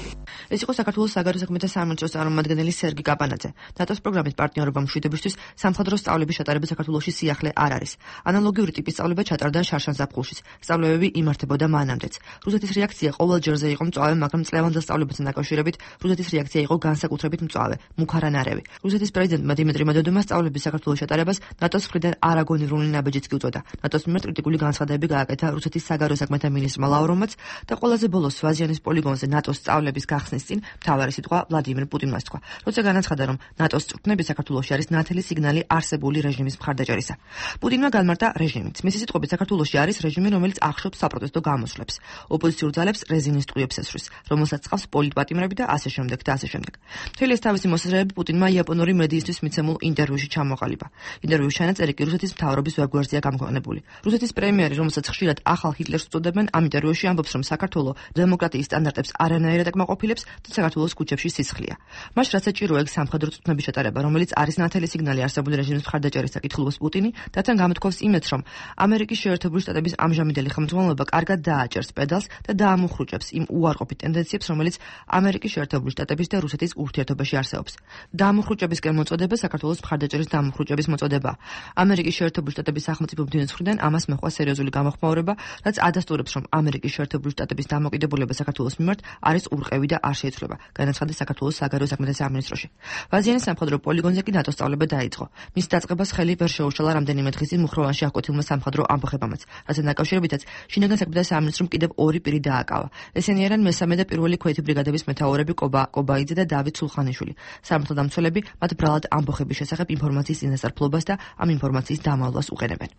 ეს იყო საქართველოს საგარეო საქმეთა სამინისტროს წარმომადგენელი სერგი კაპანაძე. ნატოს პროგრამის პარტნიორობა მშვიდობისთვის სამხედრო სწავლების ჩატარება საქართველოში სიახლე არ არის. ანალოგიური ტიპის სწავლება ჩატარდა შარშან-ზაფხულშიც. სწავლებები იმართებოდა მანამდეც. რუსეთის რეაქცია ყოველ ჯერზე იყო მწვავე, მაგრამ წლევანდელ სწავლებასთან დაკავშირებით რუსეთის რეაქცია იყო განსაკუთრებით მწვავე, მუქარანარევი. რუსეთის პრეზიდენტმა დიმიტრი მედვედევმა სწავლების საქართველოს ჩატარებას ნატოს მხრიდან არაგონირული ნაბეჯიც კი უწოდა. ნატოს მიმართ კრიტიკული განცხადებები გააკეთა რუსეთის საგარეო საქმეთა მინისტრმა ლავროვმაც და ყველაზე ბოლოს ვაზიანის პოლიგონზე ნატოს სწავლების გახსნის წინ მთავარი სიტყვა ვლადიმირ პუტინმა თქვა, როცა განაცხადა, რომ ნატოს წვრთნები საქართველოში არის ნათელი სიგნალი არსებული რეჟიმის მხარდაჭერისა. პუტინმა განმარტა რეჟიმიც. მისი სიტყვებით, საქართველოში არის რეჟიმი, რომელიც ახშობს საპროტესტო გამოსვლებს, ოპოზიციურ ძალებს რეზინის ტყუებს ესვრის, რომელსაც წყავს პოლიტპატიმრები და ასე შემდეგ და ასე შემდეგ. მთელი ეს თავისი მოსაზრებები პუტინმა იაპონური მედიისთვის მიცემულ ინტერვიუში ჩამოყალიბა. ინტერვიუს ჩანაწერი კი რუსეთის მთავრობის ვებგვერდზეა გამოგონებული. რუსეთის პრემიერი, რომელსაც ხშირად ახალ ჰიტლერს უწოდებენ, ამ ინტერვიუში ამბობს, რომ საქართველო დემოკრატიის სტანდარტებს არანაირად აკმაყოფილებს და საქართველოს ქუჩებში სისხლია. მას რაც საჭირო ეგ სამხედრო წვრთნების ჩატარება, რომელიც არის ნათელი სიგნალი არსებული რეჟიმის მხარდაჭერისა, კითხულობს პუტინი, რათან გამოთქვავს იმედს, რომ ამერიკის შეერთებული შტატების ამჟამინდელი ხელმძღვანელობა კარგად დააჭერს პედალს და დაამუხრუჭებს იმ უარყოფით ტენდენციებს, რომელიც ამერიკის შეერთებული შტატების და რუსეთის ურთიერთობაში არსებობს. დაამუხრუჭებისკენ მოწოდება საქართველოს მხარდაჭერის დაამუხრუჭების მოწოდება. ამერიკის შეერთებული შტატების სახელმწიფო ბრძოლის მხრიდან ამას მოჰყვა სერიოზული გამოხმაურება, რაც ადასტურებს, რომ ამერიკის შეერთებული შტატების დამოკიდებულება საქართველოს მიმართ არის ურყევი და არ შეიცვლება, განაცხადა საქართველოს საგარეო საქმეთა სამინისტროში. ვაზიანის სამხედრო პოლიგონზე კი ნატოს სწავლება დაიწყო. მის დაწყებას ხელი ვერ შეუშალა რამდენიმე დღის წინ მუხროვანში აღკვეთილმა სამხედრო ამბოხებამაც, რასაც დაკავშირებითაც შინაგან საქმეთა სამინისტრომ კიდევ ორი პირი დააკავა. ესენი არიან მესამე და პირველი ქვეითი ბრიგადების მეთაურები კობა კობაიძე და დავით სულხანიშვილი. სამართალ დამცველები მათ ბრალად ამბოხების შესახებ ინფორმაციის წინასწარმფლობას და ამ ინფორმაციის დამალვას უყენებენ.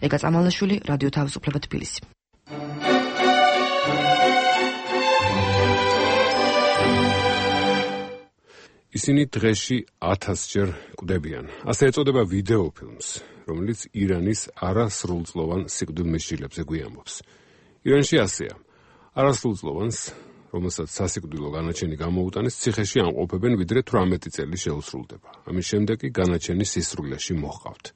ეკა წამალაშვილი, რადიო თავისუფლება, თბილისი. ისინი დღეში ათასჯერ კვდებიან. ასე ეწოდება ვიდეო ფილმს, რომელიც ირანის არასრულწლოვან სიკვდილმისჯილებზე გვიამბობს. ირანში ასეა. არასრულწლოვანს, რომელსაც სასიკვდილო განაჩენი გამოუტანეს, ციხეში ამყოფებენ ვიდრე თვრამეტი წელი შეუსრულდება. ამის შემდეგ კი განაჩენი სისრულეში მოჰყავთ.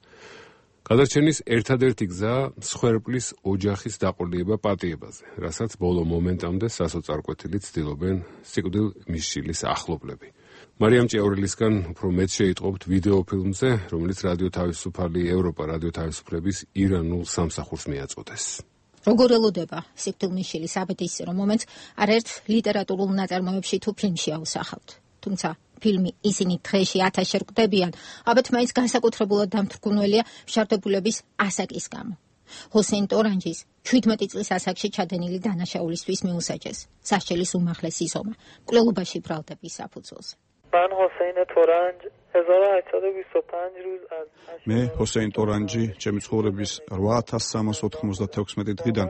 გადარჩენის ერთადერთი გზა მსხვერპლის ოჯახის დაყოლება პატიებაზე, რასაც ბოლო მომენტამდე სასოწარკვეთილი ცდილობენ სიკვდილმისჯილის ახლობლები. მარიამ ჭიაურელისგან უფრო მეტ შეიტყობთ ვიდეო ფილმზე, რომელიც რადიო თავისუფალი ევროპა რადიო თავისუფლების ირანულ სამსახურს მიაწოდეს. როგორ ელოდება სიკვდილმისჯილის აბედისწერო მომენტს არაერთ ლიტერატურულ ნაწარმოებში თუ ფილმში აუსახავთ. თუმცა ფილმი ისინი დღეში ათასჯერ კვდებიან, აბათ მაინც განსაკუთრებულად დამთრგუნველია მშარდებულების ასაკის გამო. ჰოსეინ ტორანჯის შვიდმეტი წლის ასაკში ჩადენილი დანაშაულისთვის მიუსაჯეს სასჯელის უმაღლესი ზომა მკვლელობაში ბრალდების საფუძველზე. من حسین تورنج هزار و هشتصد و بیست و پنج روز از მე ჰოსეინ ტორანჯი ჩემი ცხოვრების რვა ათას სამას ოთხმოცდათექვსმეტი დღიდან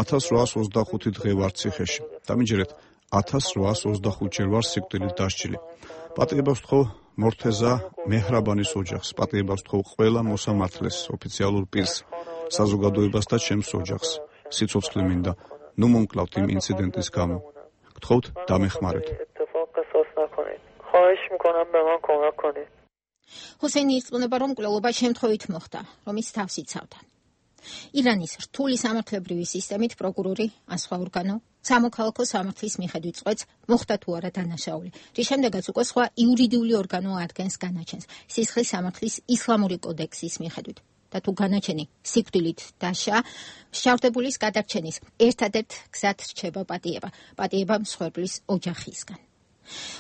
ათას რვაას ოცდახუთი დღე ვარ ციხეში. დამიჯერეთ ათას რვაას ოცდახუთჯერ ვარ სიკვდილით დასჯილი. პატიებას ვთხოვ მორთეზა მეჰრაბანის ოჯახს, პატიებას ვთხოვ ყველა მოსამართლეს, ოფიციალურ პირს, საზოგადოებას და ჩემს ოჯახს. სიცოცხლე მინდა, ნუ მომკლავთ იმ ინციდენტის გამო. გთხოვთ დამეხმარეთ. خواهش میکنم به من کمک کنید. ჰოსეინი ირწმუნება, რომ მკვლელობა შემთხვევით მოხდა, რომ ის თავს იცავდა. ირანის რთული სამართლებრივი სისტემით პროკურორი, ან სხვა ორგანო, სამოქალაქო სამართლის მიხედვით წყვეტს, მოხდა თუ არა დანაშაული, რის შემდეგაც უკვე სხვა იურიდიული ორგანო ადგენს განაჩენს, სისხლის სამართლის ისლამური კოდექსის მიხედვით. და თუ განაჩენი სიკვდილით დასჯა, მშავდებულის გადარჩენის ერთადერთ გზად რჩება პატიება, პატიება მსხვერპლის ოჯახისგან.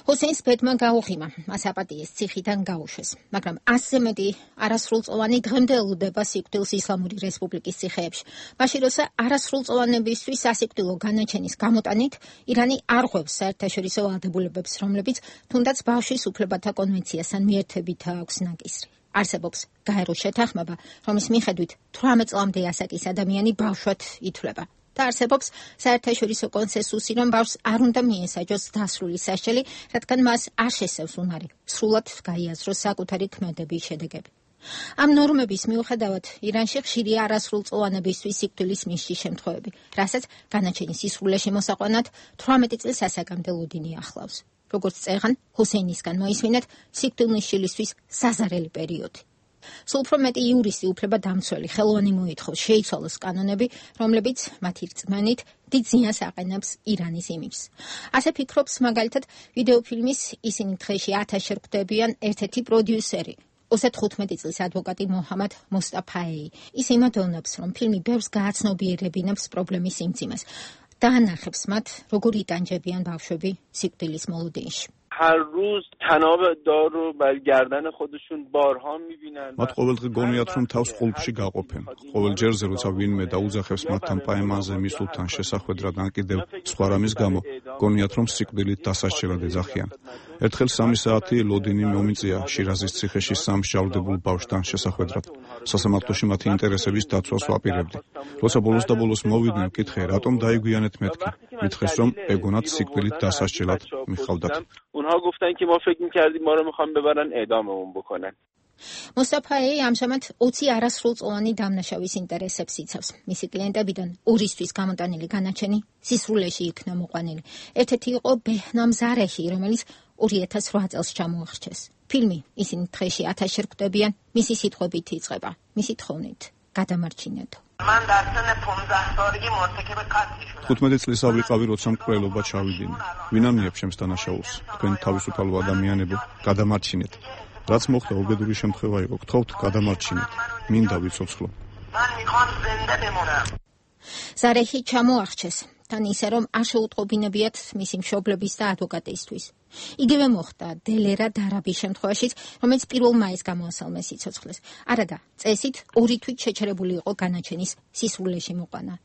ჰოსეინს ბედმა გაუღიმა, მას აპატიეს ციხიდან გაუშვეს, მაგრამ ასზე მეტი არასრულწლოვანი დღემდე ელოდება სიკვდილს ისლამური რესპუბლიკის ციხეებში. მაშინ როცა არასრულწლოვანებისთვის სასიკვდილო განაჩენის გამოტანით ირანი არ ღვევს საერთაშორისო ვალდებულებებს, რომლებიც თუნდაც ბავშვის უფლებათა კონვენციასთან მიერთებით აქვს ნაკისრი. არსებობს გაერო შეთანხმება, რომლის მიხედვით თვრამეტ წლამდე ასაკის ადამიანი ბავშვად ითვლება. და არსებობს საერთაშორისო კონსენსუსი, რომ ბავშვს არ უნდა მიესაჯოს დასრული სასჯელი, რადგან მას არ შესევს უნარი სრულად გაიაზროს საკუთარი ქმედების შედეგები. ამ ნორმების მიუხედავად, ირანში ხშირია არასრულწლოვანებისთვის სიკვდილის მისჯის შემთხვევები, რასაც განაჩენის სისრულეში მოსაყვანად თვრამეტი წლის ასაკამდე ლოდინი ახლავს. როგორც წერან, ჰოსეინისგან მოისმინეთ სიკვდილმისჯილისთვის საზარელი პერიოდი. სულ უფრო მეტი იურისტი უფლება დამცველი ხელოვანი მოითხოვს შეიცვალოს კანონები, რომლებიც მათი რწმენით დიდ ზიანს აყენებს ირანის იმიჯს. ასე ფიქრობს მაგალითად ვიდეოფილმის ისინი დღეში ათასჯერ კვდებიან ერთ-ერთი პროდიუსერი, ოცდათხუთმეტი წლის ადვოკატი მოჰამად მოსტაფაეი. ის იმედოვნებს, რომ ფილმი ბევრს გააცნობიერებინებს პრობლემის სიმძიმეს და ანახებს მათ, როგორ იტანჯებიან ბავშვები სიკვდილის მოლოდინში. هر روز تناب دار رو بر گردن خودشون بارها میبینن. მათ ყოველდღე გონიათ, რომ თავს ყულფში გაყოფენ. ყოველ ჯერზე, როცა ვინმე დაუძახებს მათთან პაემანზე მისულთან შესახვედრად ან კიდევ სხვა რამის გამო, გონიათ, რომ სიკვდილით დასასჯელად ეძახიან. ერთხელ სამი საათი ლოდინი მომიწია შირაზის ციხეში სამ მსჯავრდებულ ბავშვთან შესახვედრად. სასამართლოში მათი ინტერესების დაცვას ვაპირებდი. როცა ბოლოს და ბოლოს მოვიდნენ, ვკითხე, რატომ დაიგვიანეთ მეთქი. მითხრეს, რომ ეგონათ სიკვდილით დასასჯელად მიხავდათ. اونها گفتن که ما فکر می‌کردیم ما رو می‌خوان ببرن اعداممون بکنن. მოსტაფაეი ამჟამად ოცი არასრულწლოვანი დამნაშავის ინტერესებს იცავს. მისი კლიენტებიდან ორისთვის გამოტანილი განაჩენი სისრულეში იქნა მოყვანილი. ერთ-ერთი იყო ბეჰნამ ზარეჰი, რომელიც ორი ათას რვა წელს ჩამოახრჩეს. ფილმი ისინი დღეში ათასჯერ კვდებიან, მისი სიტყვებით იწყება, მისი თხოვნით გადამარჩინეთო. من در سن پانزده سالگی مرتکب قتل شدم. თხუთმეტი წლის ავიყავი, როცა მკვლელობა ჩავიდინე. ვინ ამნიებს ჩემს დანაშაულს? თქვენ თავისუფალ ადამიანებო, გადამარჩინეთ. რაც მოხდა უბედური შემთხვევა იყო, გთხოვთ გადამარჩინეთ. მინდა ვიცოცხლო. من میخوام زنده بمونم. ზარეჰი ჩამოახრჩეს, თან ისე რომ არ შეუტყობინებიათ მისი მშობლების და ადვოკატისთვის. იგივე მოხდა დელერა დარაბის შემთხვევაშიც, რომელიც პირველ მაისს გამოასალმეს სიცოცხლეს. არადა, წესით ორი თვით შეჩერებული იყო განაჩენის სისრულეში მოყვანა.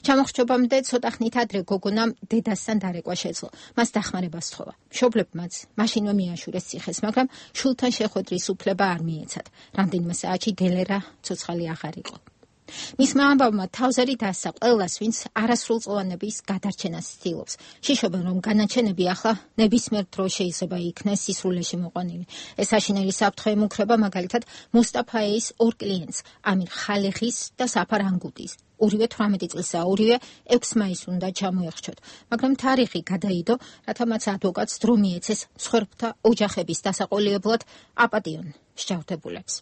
ჩამოხრჩობამდე ცოტა ხნით ადრე გოგონამ დედასთან დარეკვა შეძლო. მას დახმარება სთხოვა. მშობლებმაც მაშინვე მიაშურეს ციხეს, მაგრამ შულთან შეხვედრის უფლება არ მიეცათ. რამდენიმე საათში დელერა ცოცხალი აღარ იყო. მისმა ამბავმა თავზარი დასცა ყველას, ვინც არასრულწლოვანების გადარჩენას ცდილობს. შიშობენ, რომ განაჩენები ახლა ნებისმიერ დროს შეიძლება იქნეს სისრულეში მოყვანილი. ეს აშინელი საფრთხე ემუქრება მაგალითად მუსტაფაეის ორ კლიენტს, ამირ ხალეხის და საფარ ანგუტის. ორივე თვრამეტი წლისაა, ორივე ექვსი მაისს უნდა ჩამოეხჩოთ, მაგრამ თარიღი გადაიდო, რათა მათ ადვოკატს დრო მიეცეს მსხვერპლთა ოჯახების დასაყოლიებლად აპატიონ მსჯავრდებულებს.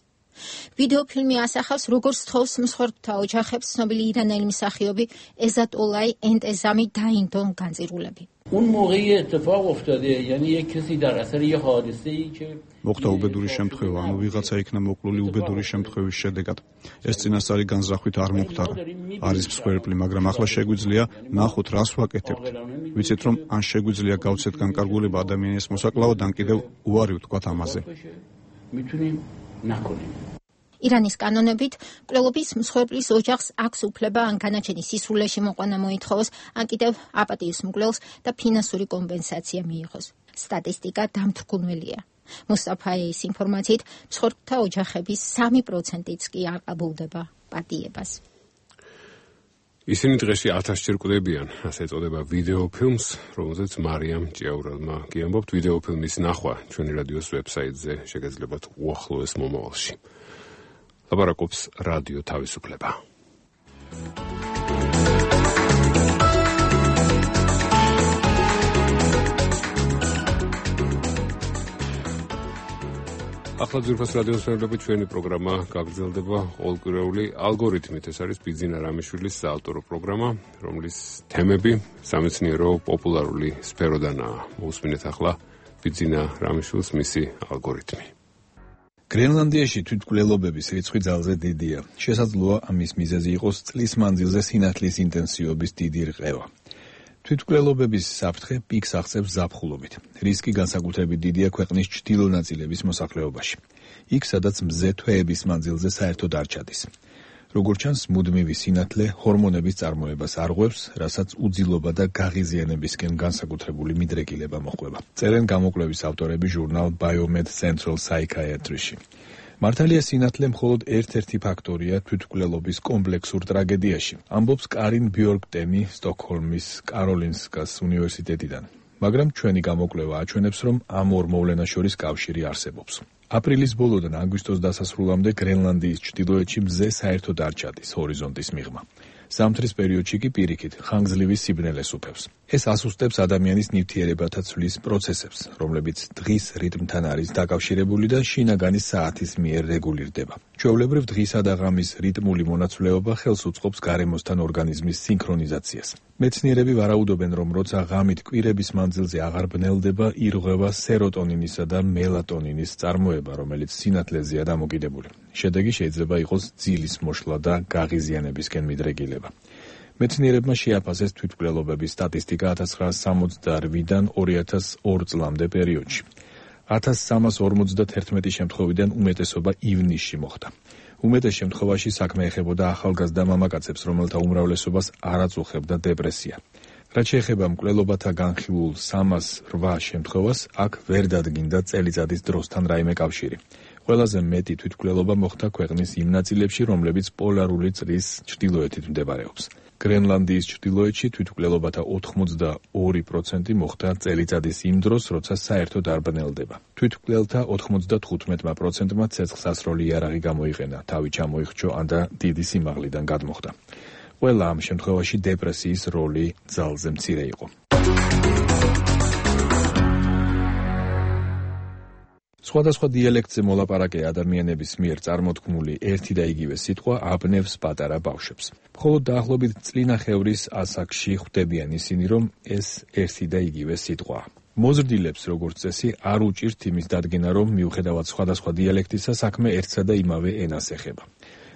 ვიდეოფილმი ასახავს, როგორ სთხოვს მსხვერპლთა ოჯახებს ცნობილი ირანელი მსახიობი ეზატოლაი ენტეზამი დაინდო განწირულები. اون موقعی اتفاق افتاده یعنی یک کسی در اثر یه حادثه‌ای که მოხდა უბედური შემთხვევა, ანუ ვიღაცა იქნა მოკლული უბედური შემთხვევის შედეგად. ეს წინასწარი განზრახვით არ მოხდარა. არის მსხვერპლი, მაგრამ ახლა შეგვიძლია ნახოთ, რას ვაკეთებთ. ვიცით, რომ ან შეგვიძლია გავცეთ განკარგულება ადამიანის მოსაკლავად, ან კიდევ უარი ვთქვათ ამაზე. میتونیم نکنیم. ირანის კანონებით მკვლელობის მსხვერპლის ოჯახს აქვს უფლება ან განაჩენის სისრულეში მოყვანა მოითხოვოს, ან კიდევ აპატიის მკვლელს და ფინანსური კომპენსაცია მიიღოს. სტატისტიკა დამთრგუნველია. მუსტაფაეის ინფორმაციით, მსხვერპლთა ოჯახების სამი პროცენტიც კი არ ყაბულდება პატიებას. ისინი დღეში ათასჯერ კვდებიან, ასე ეწოდება ვიდეოფილმს, რომელზეც მარიამ ჭიაურელმა გიამბობთ. ვიდეოფილმის ნახვა ჩვენი რადიოს ვებსაიტზე შეგეძლებათ უახლოეს მომავალში. ლაპარაკობს რადიო თავისუფლება. ახლა ძვირფას რადიოს ფერმები ჩვენი პროგრამა გაგრძელდება ყოველკვირეული ალგორითმით. ეს არის ბიძინა რამიშვილის საავტორო პროგრამა, რომლის თემები სამეცნიერო პოპულარული სფეროდანაა. მოусმინეთ ახლა ბიძინა რამიშვილს მისი ალგორითმი. გრენლანდიაში თვითმკვლელობების რიცხვი ძალზე დიდია. შესაძლოა ამის მიზეზი იყოს წლის მანძილზე სინათლის ინტენსივობის დიდი რყევა. თვითმკვლელობების საფრთხე პიკს აღწევს ზაფხულობით. რისკი განსაკუთრებით დიდია ქვეყნის ჩრდილო ნაწილების მოსახლეობაში. იქ, სადაც მზე თვეების მანძილზე საერთოდ არ ჩადის. როგორც ჩანს, მუდმივი სინათლე ჰორმონების წარმოებას არღვევს, რასაც უძილობა და გაღიზიანებისკენ განსაკუთრებული მიდრეკილება მოჰყვება. წერენ გამოკვლევის ავტორები ჟურნალ Biomed Central Psychiatry-ში. მართალია სინათლე მხოლოდ ერთ-ერთი ფაქტორია თვითმკვლელობის კომპლექსურ ტრაგედიაში, ამბობს კარინ ბიორკტენი სტოკჰოლმის კაროლინსკას უნივერსიტეტიდან. მაგრამ ჩვენი გამოკვლევა აჩვენებს, რომ ამ ორ მოვლენას შორის კავშირი არსებობს. აპრილის ბოლოდან აგვისტოს დასასრულამდე გრენლანდიის ჩრდილოეთში მზე საერთოდ არ ჩადის ჰორიზონტის მიღმა. ზამთრის პერიოდში კი პირიქით ხანგრძლივი სიბნელეს უფევს. ეს ასუსტებს ადამიანის ნივთიერებათა ცვლის პროცესებს, რომლებიც დღის რიტმთან არის დაკავშირებული და შინაგანი საათის მიერ რეგულირდება. ჩვეულებრივ დღისა და ღამის რიტმული მონაცვლეობა ხელს უწყობს გარემოსთან ორგანიზმის სინქრონიზაციას. მეცნიერები ვარაუდობენ, რომ როცა ღამით კვირების მანძილზე აღარ ბნელდება, ირღვევა სეროტონინისა და მელატონინის წარმოება, რომელიც სინათლეზეა დამოკიდებული. შედეგი შეიძლება იყოს ძილის მოშლა და გაღიზიანებისკენ მიდრეკილება. მეცნიერებმა შეაფასეს თვითმკვლელობების სტატისტიკა ათას ცხრაასი სამოცდაორი-დან ორი ათას ორი წლამდე პერიოდში. ათას სამას ორმოცდათერთმეტი შემთხვევიდან უმეტესობა ივნისში მოხდა. უმეტეს შემთხვევაში საქმე ეხებოდა ახალგაზრდა მამაკაცებს, რომელთა უმრავლესობას არ აწუხებდა დეპრესია. რაც შეეხება მკვლელობათა განხილულ სამას რვა შემთხვევას, აქ ვერ დადგინდა წელიწადის დროსთან რაიმე კავშირი. ყველაზე მეტი თვითმკვლელობა მოხდა ქვეყნის იმ ნაწილებში, რომლებიც პოლარული წრის ჩრდილოეთით მდებარეობს. გრენლანდიის ჩრდილოეთში თვითმკვლელობათა ოთხმოცდაორი პროცენტი მოხდა წელიწადის იმ დროს, როცა საერთოდ არ ბნელდება. თვითმკვლელთა ოთხმოცდათხუთმეტი პროცენტმა ცეცხლსასროლი იარაღი გამოიყენა, თავი ჩამოიხრჩო ან და დიდი სიმაღლიდან გადმოხდა. ყველა ამ შემთხვევაში დეპრესიის როლი ძალზე მცირე იყო. სხვადასხვა დიალექტზე მოლაპარაკე ადამიანების მიერ წარმოთქმული ერთი და იგივე სიტყვა აბნევს პატარა ბავშვებს. მხოლოდ დაახლოებით წლინახევრის ასაკში ხვდებიან ისინი, რომ ეს ერთი და იგივე სიტყვაა. მოზრდილებს, როგორც წესი, არ უჭირთ იმის დადგენა, რომ მიუხედავად სხვადასხვა დიალექტისა, საქმე ერთსა და იმავე ენას ეხება.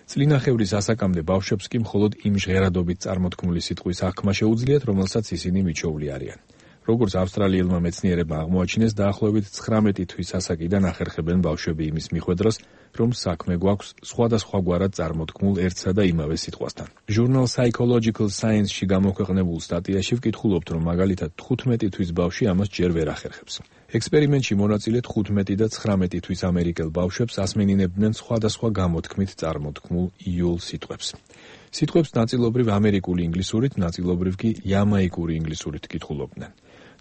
წლინახევრის ასაკამდე ბავშვებს კი მხოლოდ იმ ჟღერადობით წარმოთქმული სიტყვის აღქმა შეუძლიათ, რომელსაც ისინი მიჩოვლი არიან. როგორც ავსტრალიელმა მეცნიერებმა აღმოაჩინეს, დაახლოებით ცხრამეტი თვის ასაკიდან ახერხებენ ბავშვები იმის მიხვედრას, რომ საქმე გვაქვს სხვადასხვაგვარად წარმოთქმულ ერთსა და იმავე სიტყვასთან. ჟურნალ Psychological Science-ში გამოქვეყნებულ სტატიაში ვკითხულობთ, რომ მაგალითად თხუთმეტი თვის ბავშვი ამას ჯერ ვერ ახერხებს. ექსპერიმენტში მონაწილე თხუთმეტი და ცხრამეტი თვის ამერიკელ ბავშვებს ასმენინებდნენ სხვადასხვა გამოთქმით წარმოთქმულ იოლ სიტყვებს. სიტყვებს ნაწილობრივ ამერიკული ინგლისურით, ნაწილობრივ კი იამაიკური ინგლისურით კითხულობდნენ.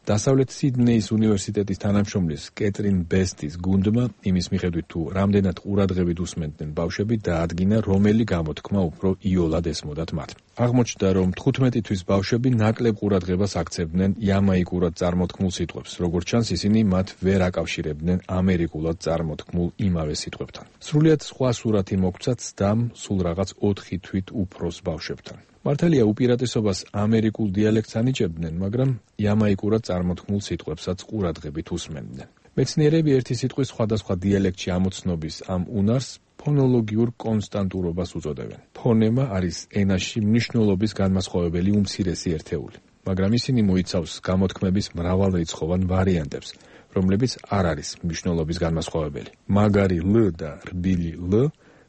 დასავლეთ სიდნეის უნივერსიტეტის თანამშრომლის კეტრინ ბესტის გუნდმა იმის მიხედვით თუ რამდენად ყურადღებით უსმენდნენ ბავშვები დაადგინა რომელი გამოთქმა უფრო იოლად ესმოდათ მათ. აღმოჩნდა რომ თხუთმეტი თვის ბავშვები ნაკლებ ყურადღებას აქცევდნენ იამაიკურად წარმოთქმულ სიტყვებს, როგორც ჩანს ისინი მათ ვერ აკავშირებდნენ ამერიკულად წარმოთქმულ იმავე სიტყვებთან. სრულიად სხვა სურათი მოგვცათ სდამ სულ რაღაც ოთხი თვით უფროს ბავშვებთან. მართალია უპირატესობას ამერიკულ დიალექტს ანიჭებდნენ, მაგრამ იამაიკურად წარმოთქმულ სიტყვებსაც ყურადღებით უსმენდნენ. მეცნიერები ერთი სიტყვის სხვადასხვა დიალექტში ამოცნობის ამ უნარს ფონოლოგიურ კონსტანტურობას უწოდებენ. ფონემა არის ენაში მნიშვნელობის განმასხვავებელი უმცირესი ერთეული, მაგრამ ისინი მოიცავს გამოთქმების მრავალრიცხოვან ვარიანტებს, რომლებიც არ არის მნიშვნელობის განმასხვავებელი. მაგარი ლ და რბილი ლ,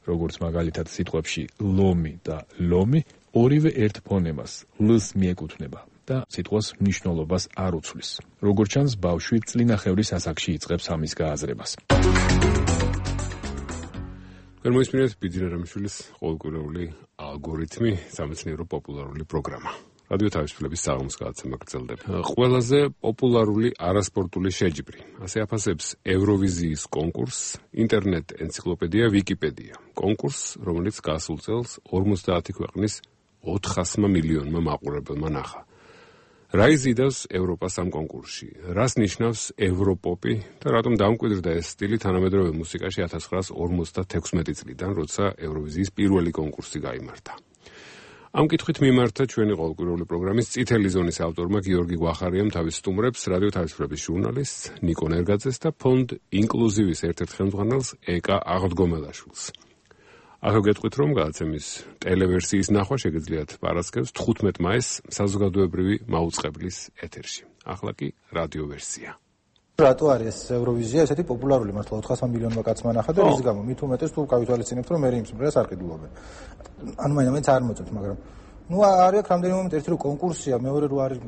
როგორც მაგალითად სიტყვებში ლომი და ლომი, ორივე ერთ ფონემას ლ-ს მიეკუთვნება და სიტყვას მნიშვნელობას არ უცვლის. როგორც ჩანს, ბავშვი წლინახევრის ასაკში იწყებს ამის გააზრებას. გერმანიის ბიძინა რამიშვილის ყოველკვირეული ალგორითმი სამეცნიერო პოპულარული პროგრამა. რადიო თავისუფლების საღამოს გადაცემა გრძელდება. ყველაზე პოპულარული არასპორტული შეჯიბრი. ასე აფასებს ევროვიზიის კონკურსს ინტერნეტ ენციკლოპედია ვიკიპედია. კონკურსს, რომელიც გასულ წელს ორმოცდაათი ქვეყნის ოთხასმა მილიონმა მაყურებელმა ნახა. რა იზიდავს ევროპას ამ კონკურსში? რას ნიშნავს ევროპოპი და რატომ დამკვიდრდა ეს სტილი თანამედროვე მუსიკაში ათას ცხრაას ორმოცდათექვსმეტი წლიდან, როცა ევროვიზიის პირველი კონკურსი გაიმართა? ამ კითხვით მიმართა ჩვენი ყოველკვირეული პროგრამის წითელი ზონის ავტორმა გიორგი გვახარიამ თავის სტუმრებს, რადიო თავისუფლების ჟურნალისტს ნიკო ნერგაძეს და ფონდ ინკლუზივის ერთ-ერთ ხელმძღვანელს ეკა აღდგომელაშვილს. ახლა გეტყვით, რომ გადაცემის ტელევერსიის ნახვა შეგიძლიათ პარასკევს თხუთმეტ მაისს საზოგადოებრივი მაუწყებლის ეთერში. ახლა კი რადიო ვერსია. რატო არის ევროვიზია ესეთი პოპულარული მართლა ოთხასმა მილიონმა კაცმა ნახა და რის გამო? მით უმეტეს თუ გავითვალისწინებთ, რომ მე იმ სიმღერას არ ყიდულობენ. ანუ მაინც არ მოწევთ, მაგრამ ნუ არის აქ რამდენი მომენტი, ერთი რომ კონკურსია, მეორე რომ არის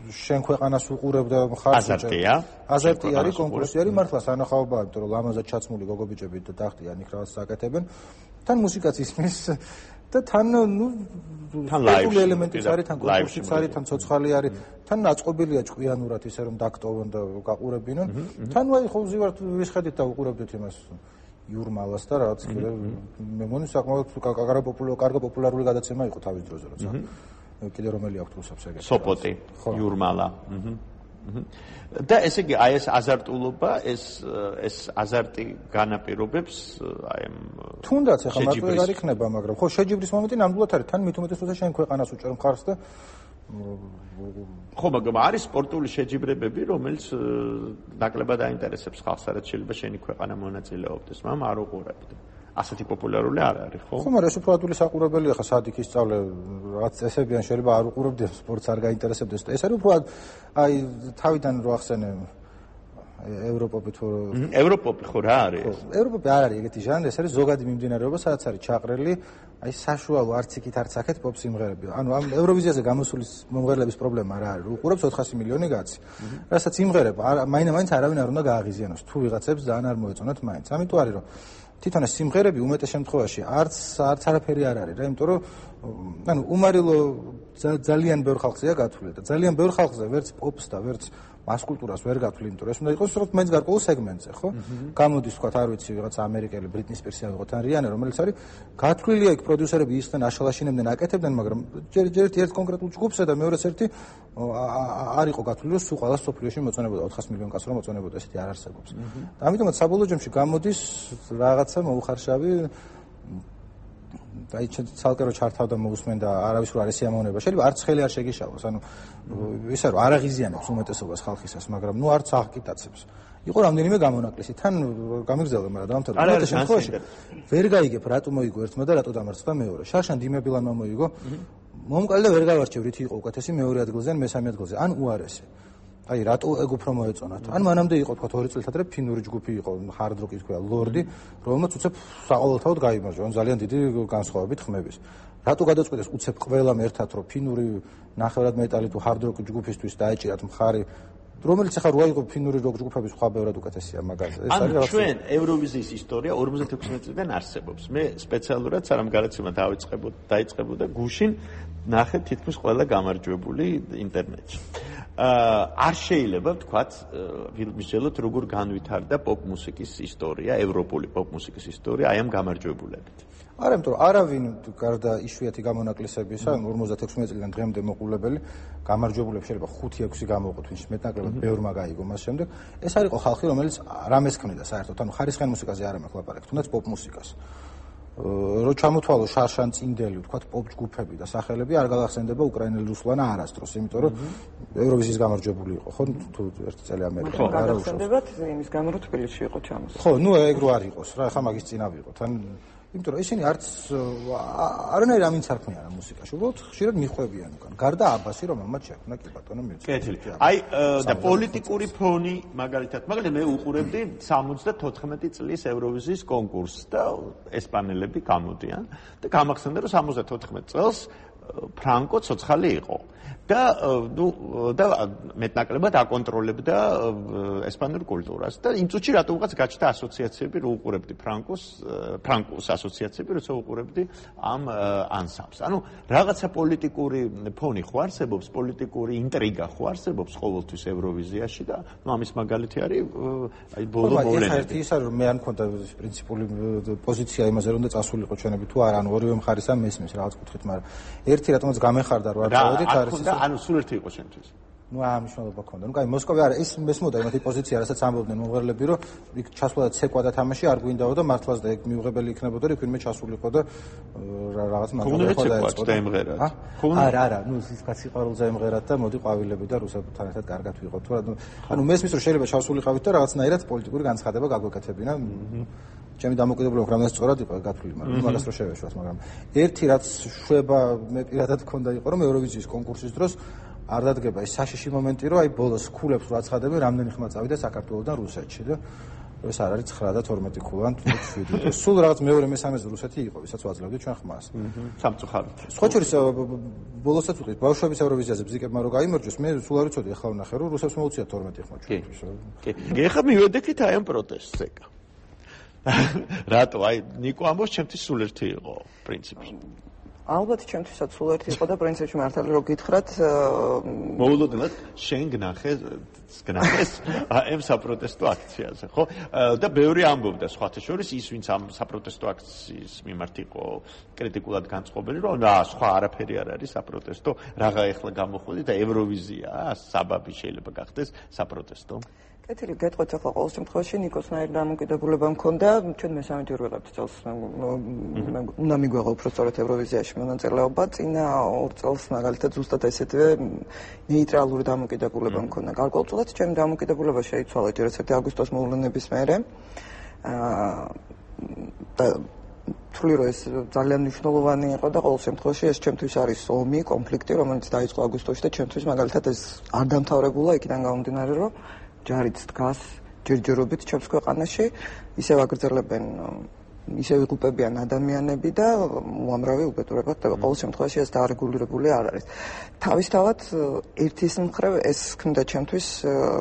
შენ ქვეყანას უყურებ და ხარჯ აზარტია. აზარტი არის, კონკურსი არის, მართლა სანახაობაა, იმიტომ რომ ლამაზად ჩაცმული გოგობიჭები და დახტიან იქ რაღაც საკეთებენ. თან მუსიკაც ისმის და თან ნუ თან ლაივი ელემენტიც არის, თან კონკურსიც არის, თან ცოცხალი არის, თან აწყობილია ჭკვიანურად ისე რომ დაგტოვონ და გაყურებინონ. თან აი ხო ვზივართ ვისხედით და უყურებდით იმას იურმალას და რაღაც კიდე მე მგონი საკმაოდ კარგი პოპულარული კარგი პოპულარული გადაცემა იყო თავის დროზე, როცა კიდე რომელი აქვს რუსებს ეგეთი. სოპოტი, იურმალა. და ესე იგი აი ეს აზარტულობა, ეს ეს აზარტი განაპირობებს აი ამ თუნდაც ახლა მარტო ეგ არ იქნება, მაგრამ ხო შეჯიბრის მომენტი ნამდვილად არის, თან მით უმეტეს როცა შენ ქვეყანას უჭერ მხარს და ხო, მაგრამ არის სპორტული შეჯიბრებები, რომელიც ნაკლებად აინტერესებს ხალხს, რაც შეიძლება შენი ქვეყანა მონაწილეობდეს, მაგრამ არ უყურებთ. ასეთი პოპულარული არ არის, ხო? ხო, მაგრამ ეს უფრო ადვილი საყურებელია, ხა სად იქ ისწავლე, რაღაც წესებიან, შეიძლება არ უყურებდეს, სპორტს არ გაინტერესებდეს და ეს არის უფრო აი თავიდან რო ახსენე ევროპოპი თუ ევროპოპი ხო რა არის? ევროპოპი არ არის ეგეთი ჟანრი, ეს არის ზოგადი მიმდინარეობა, სადაც არის ჩაყრელი აი საშუალო არც იქით არც აქეთ პოპ სიმღერები. ანუ ამ ევროვიზიაზე გამოსული მომღერლების პრობლემა რა არის? უყურებს ოთხასი მილიონი კაცი. რასაც იმღერება, მაინც არავინ არ უნდა გააღიზიანოს, თუ ვიღაცებს ძალიან არ მოეწონათ მაინც. ამიტომ არის რომ თვითონ ეს სიმღერები უმეტეს შემთხვევაში არც არც არაფერი არ არის რა, იმიტომ რომ ანუ უმარილო ძალიან ბევრ ხალხზეა გათვლილი და ძალიან ბევრ ხალხზე ვერც პოპს და ვერც მას კულტურას ვერ გათვლილი, იმიტომ რომ ეს უნდა იყოს სწორედ მეც გარკვეულ სეგმენტზე, ხო? გამოდის თქვა, არ ვიცი, ვიღაც ამერიკელი ბრიტნი სპირსი ან ვიღაც რიანე, რომელიც არის გათვლილია იქ პროდიუსერები ისხდნენ, აშალაშინებდნენ, აკეთებდნენ, მაგრამ ჯერ ერთ ერთ კონკრეტულ ჯგუფსა და მეორეს ერთი არ იყო გათვლილი, რომ სულ ყველა სოფლიოში მოწონებოდა ოთხას მილიონ კაცს რომ მოწონებოდა, ესეთი არ არსებობს. და ამიტომაც საბოლოო ჯამში გამოდის რაღაცა მოუხარშავი აი ცალკე რო ჩართავდა მოусმენ და არავის რო არ ესიამოვნება შეიძლება არც ხელი არ შეგიშალოს ანუ ისე რომ არ აღიზიანებს უმეტესობას ხალხისას მაგრამ ნუ არც აღკიტაცებს იყო რამდენიმე გამონაკლისი თან გამიგზავნა მაგრამ დამთავრდა უმეტეს შემთხვევაში ვერ გაიგებ რატო მოიგო ერთმა და რატო დამარცხდა მეორე შარშან დიმებილანმა მოიგო მომკალდა ვერ გავარჩევ რითი იყო უკეთესი მეორე ადგილზე ან მესამე ადგილზე ან უარესი აი რატო ეგ უფრო მოეწონათ? ან მანამდე იყო თქვა ორი წელიწად ადრე ფინური ჯგუფი იყო, hard rock-ის თქვა, ლორდი, რომელმაც უცებ საყოველთაოდ გაიმარჯვა, ძალიან დიდი განსხვავებით ხმების. რატო გადაწყვიტეს უცებ ყველამ ერთად რომ ფინური ნახევრად მეტალი თუ hard rock ჯგუფისთვის დაეჭირათ მხარი, რომელიც ახლა რო აიღო ფინური rock ჯგუფების სხვა ბევრად უკეთესია მაგაზე. ეს არის რაღაც ჩვენ ევროვიზიის ისტორია ორმოცდათექვსმეტ წლიდან არსებობს. მე სპეციალურად სანამ გადაცემა დაიწყებოდა, დაიწყებოდა გუშინ ნახე თითქმის ყველა გამარჯვებული ინტერნეტში. არ შეიძლება ვთქვათ, ვიმსჯელოთ როგორ განვითარდა პოპ მუსიკის ისტორია, ევროპული პოპ მუსიკის ისტორია აი ამ გამარჯვებულებით. არა, იმიტომ რომ არავინ გარდა იშვიათი გამონაკლისებისა, ორმოცდათექვსმეტ წლიდან დღემდე მოყოლებელი გამარჯვებულებს შეიძლება ხუთი ექვსი გამოვყოთ, ვინც მეტნაკლებად ბევრმა გაიგო მას შემდეგ. ეს არ იყო ხალხი, რომელიც რამეს ქმნიდა საერთოდ, ანუ ხარისხიან მუსიკაზე არ ამეკლაპარაკ, თუნდაც პოპ მუსიკას. რო ჩამოთვალო შარშან წინდელი, ვთქვათ, პოპ ჯგუფები და სახელები არ გავახსენდება უკრაინელი რუსლანა არასდროს, იმიტომ რომ ევროვიზიის გამარჯვებული იყო, ხო, თუ ერთი წელი ამერიკა არა უშავს. გავახსენდებათ იმის გამო რომ თბილისში იყო ჩამოსული. ხო, ნუ ეგ რო არ იყოს რა, ხა მაგის წინა ვიყოთ, ან იმიტომ რომ ისინი არც არანაირ ამინც არ ქმნიან ამ მუსიკაში, უბრალოდ ხშირად მიხვევიან უკან. გარდა აბასი, რომელმაც შექმნა კი ბატონო მიუწევს. კეთილი. აი და პოლიტიკური ფონი მაგალითად, მაგალითად მე უყურებდი სამოცდათოთხმეტი წლის ევროვიზიის კონკურსს და ესპანელები გამოდიან და გამახსენდა რომ სამოცდათოთხმეტ წელს ფრანკო ცოცხალი იყო. და ნუ და მეტნაკლებად აკონტროლებდა ესპანურ კულტურას და იმ წუთში რატო უღაც გაჩნდა ასოციაციები რო უყურებდი ფრანკოს ფრანკოს ასოციაციები როცა უყურებდი ამ ანსამბლს. ანუ რაღაცა პოლიტიკური ფონი ხო არსებობს, პოლიტიკური ინტრიგა ხო არსებობს ყოველთვის ევროვიზიაში და ნუ ამის მაგალითი არის აი ბოლო მოვლენები. ერთი ის არის რომ მე არ მქონდა პრინციპული პოზიცია იმაზე რომ და წასულიყო ჩვენები თუ არა, ანუ ორივე მხარესა მესმის რაღაც კუთხით, მაგრამ ერთი რატომაც გამეხარდა რომ არ წავედით არის ანუ სულ ერთი იყო შენთვის. ნუ ამ მნიშვნელობა ქონდა. ნუ კაი, მოსკოვი არა, ის მესმოდა იმათი პოზიცია, რასაც ამბობდნენ მომღერლები, რომ იქ ჩასვლა და ცეკვა და თამაში არ გვინდაო და მართლაც და ეგ მიუღებელი იქნებოდა, რომ ვინმე ჩასულიყო და რაღაც მაგალითად ხო დაეწყო და ემღერათ. არა, არა, ნუ ის კაცი ყვავილზე ემღერათ და მოდი ყვავილები და რუსებთან ერთად კარგად ვიყოთ. თუ ანუ მესმის რომ შეიძლება ჩასულიყავით და რაღაცნაირად პოლიტიკური განცხადება გაგვეკეთებინა. ჩემი დამოკიდებულება რამდენად სწორად იყო გათვლილი, მაგრამ მაგას რო შევეშვათ, მაგრამ ერთი რაც შვება მე პირადად მქონდა იყო, რომ ევროვიზიის კონკურსის დროს არ დადგება ის საშიში მომენტი, რომ აი ბოლოს ქულებს რო აცხადებენ, რამდენი ხმა წავიდა საქართველოსდან რუსეთში და ეს არ არის ცხრა და თორმეტი ქულან თუ შვიდი. სულ რაღაც მეორე მესამეზე რუსეთი იყო, ვისაც ვაძლევდი ჩვენ ხმას. სამწუხაროდ. სხვა შორის ბოლოსაც ვიყიდ ბავშვების ევროვიზიაზე ბზიკებმა რო გაიმარჯვეს, მე სულ არ ვიცოდი ახლა ვნახე, რომ რუსებს მოუწია თორმეტი ხმა ჩვენთვის. კი. კი. ეხლა მივედექით აი ამ პროტესტზე. რატო? აი ნიკო ამბობს, ჩემთვის სულ ერთი იყო პრინციპი. ალბათ ჩემთვისაც სულ ერთი იყო და პრინციპში მართალი რო გითხრათ, მოულოდნელად შენ გნახე, გნახეს ამ საპროტესტო აქციაზე, ხო? და ბევრი ამბობდა სხვათა შორის ის, ვინც ამ საპროტესტო აქციის მიმართ იყო კრიტიკულად განწყობილი, რომ აა სხვა არაფერი არ არის საპროტესტო, რაღა ეხლა გამოხვედი და ევროვიზია, საბაბი შეიძლება გახდეს საპროტესტო. კეთილი, გეტყვით ახლა ყოველ შემთხვევაში ნიკოსნაირ დამოკიდებულება მქონდა, ჩვენ მესამე პირველად წელს უნდა მიგვეღო უფრო სწორად ევროვიზიაში მონაწილეობა, წინა ორ წელს მაგალითად ზუსტად ესეთვე ნეიტრალური დამოკიდებულება მქონდა. გარკვეულწილად ჩემი დამოკიდებულება შეიცვალა ჯერ ერთ აგვისტოს მოვლენების მერე. და თვლი რომ ეს ძალიან მნიშვნელოვანი იყო და ყოველ შემთხვევაში ეს ჩემთვის არის ომი, კონფლიქტი, რომელიც დაიწყო აგვისტოში და ჩემთვის მაგალითად ეს არ დამთავრებულა იქიდან გამომდინარე, რომ ჯარიც დგას ჯერჯერობით ჩემს ქვეყანაში, ისევ აგრძელებენ, ისევ იღუპებიან ადამიანები და უამრავი უბედურება ხდება. ყოველ შემთხვევაში ეს დაარეგულირებული არ არის. თავისთავად ერთის მხრივ ეს ქმნიდა ჩემთვის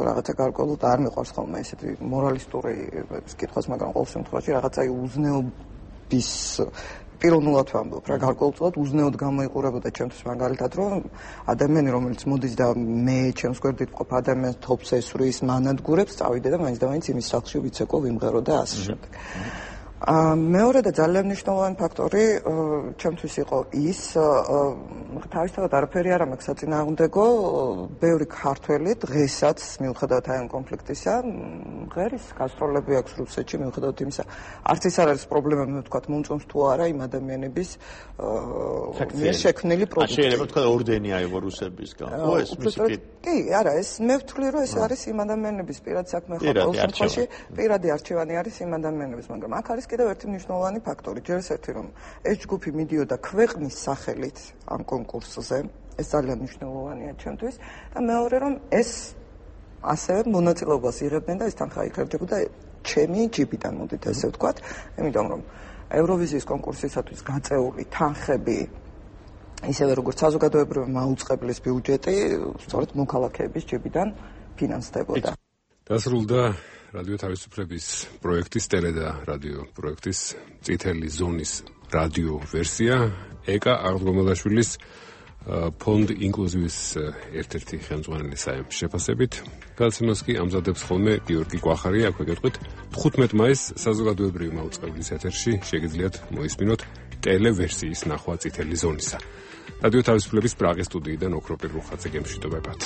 რაღაცა გარკვეულად არ მიყვარს ხოლმე ესეთი მორალისტური კითხვას, მაგრამ ყოველ შემთხვევაში რაღაცა უზნეობის პიროვნულად ვამბობ რა, გარკვეულწილად უზნეოდ გამოიყურებოდა ჩემთვის მაგალითად, რომ ადამიანი, რომელიც მოდის და მე ჩემს გვერდით მყოფ ადამიანს თოფს ესვრის, მანადგურებს, წავიდე და მაინც და მაინც იმის სახლში ვიცეკო, ვიმღერო და ასე შემდეგ. მეორე და ძალიან მნიშვნელოვანი ფაქტორი ჩემთვის იყო ის, თავისთავად არაფერი არ მაქვს საწინააღმდეგო, ბევრი ქართველი დღესაც მიუხედავად აი ამ კონფლიქტისა, ღერის გასტროლები აქვს რუსეთში, მიუხედავად იმისა, არც ის არ არის პრობლემა, მე ვთქვათ, მომწონს თუ არა იმ ადამიანების მიერ შექმნილი პროდუქტი. შეიძლება ვთქვათ, ორდენი აიღო რუსებისგან, ხო ეს მისი კი, არა, ეს მე ვთვლი, რომ ეს არის იმ ადამიანების პირად საქმე, ხო, ყოველ შემთხვევაში პირადი არჩევანი არის იმ ადამიანების, მაგრამ აქ არის კიდევ ერთი მნიშვნელოვანი ფაქტორი, ჯერ ერთი რომ ეს ჯგუფი მიდიოდა ქვეყნის სახელით ამ კონკურსზე, ეს ძალიან მნიშვნელოვანია ჩემთვის და მეორე რომ ეს ასევე მონაწილეობას იღებდნენ და ეს თანხა იხერხებოდა ჩემი ჯიბიდან, მოდით ესე ვთქვათ, იმიტომ რომ ევროვიზიის კონკურსისათვის გაწეული თანხები ისევე როგორც საზოგადოებრივი მაუწყებლის ბიუჯეტი, სწორედ მოქალაქეების ჯიბიდან ფინანსდებოდა. დასრულდა რადიო თავისუფლების პროექტის ტელე და რადიო პროექტის წითელი ზონის რადიო ვერსია ეკა აღდგომელაშვილის ფონდ ინკლუზივის ერთ-ერთი ხელმძღვანელი საემ შეფასებით. გადაცემას კი ამზადებს ხოლმე გიორგი კვახარი, აქვე გეტყვით თხუთმეტ მაისს საზოგადოებრივი მაუწყებლის ეთერში შეგიძლიათ მოისმინოთ ტელე ვერსიის ნახვა წითელი ზონისა. რადიო თავისუფლების პრაღის სტუდიიდან ოქროპირ რუხაძე გემშვიდობებათ.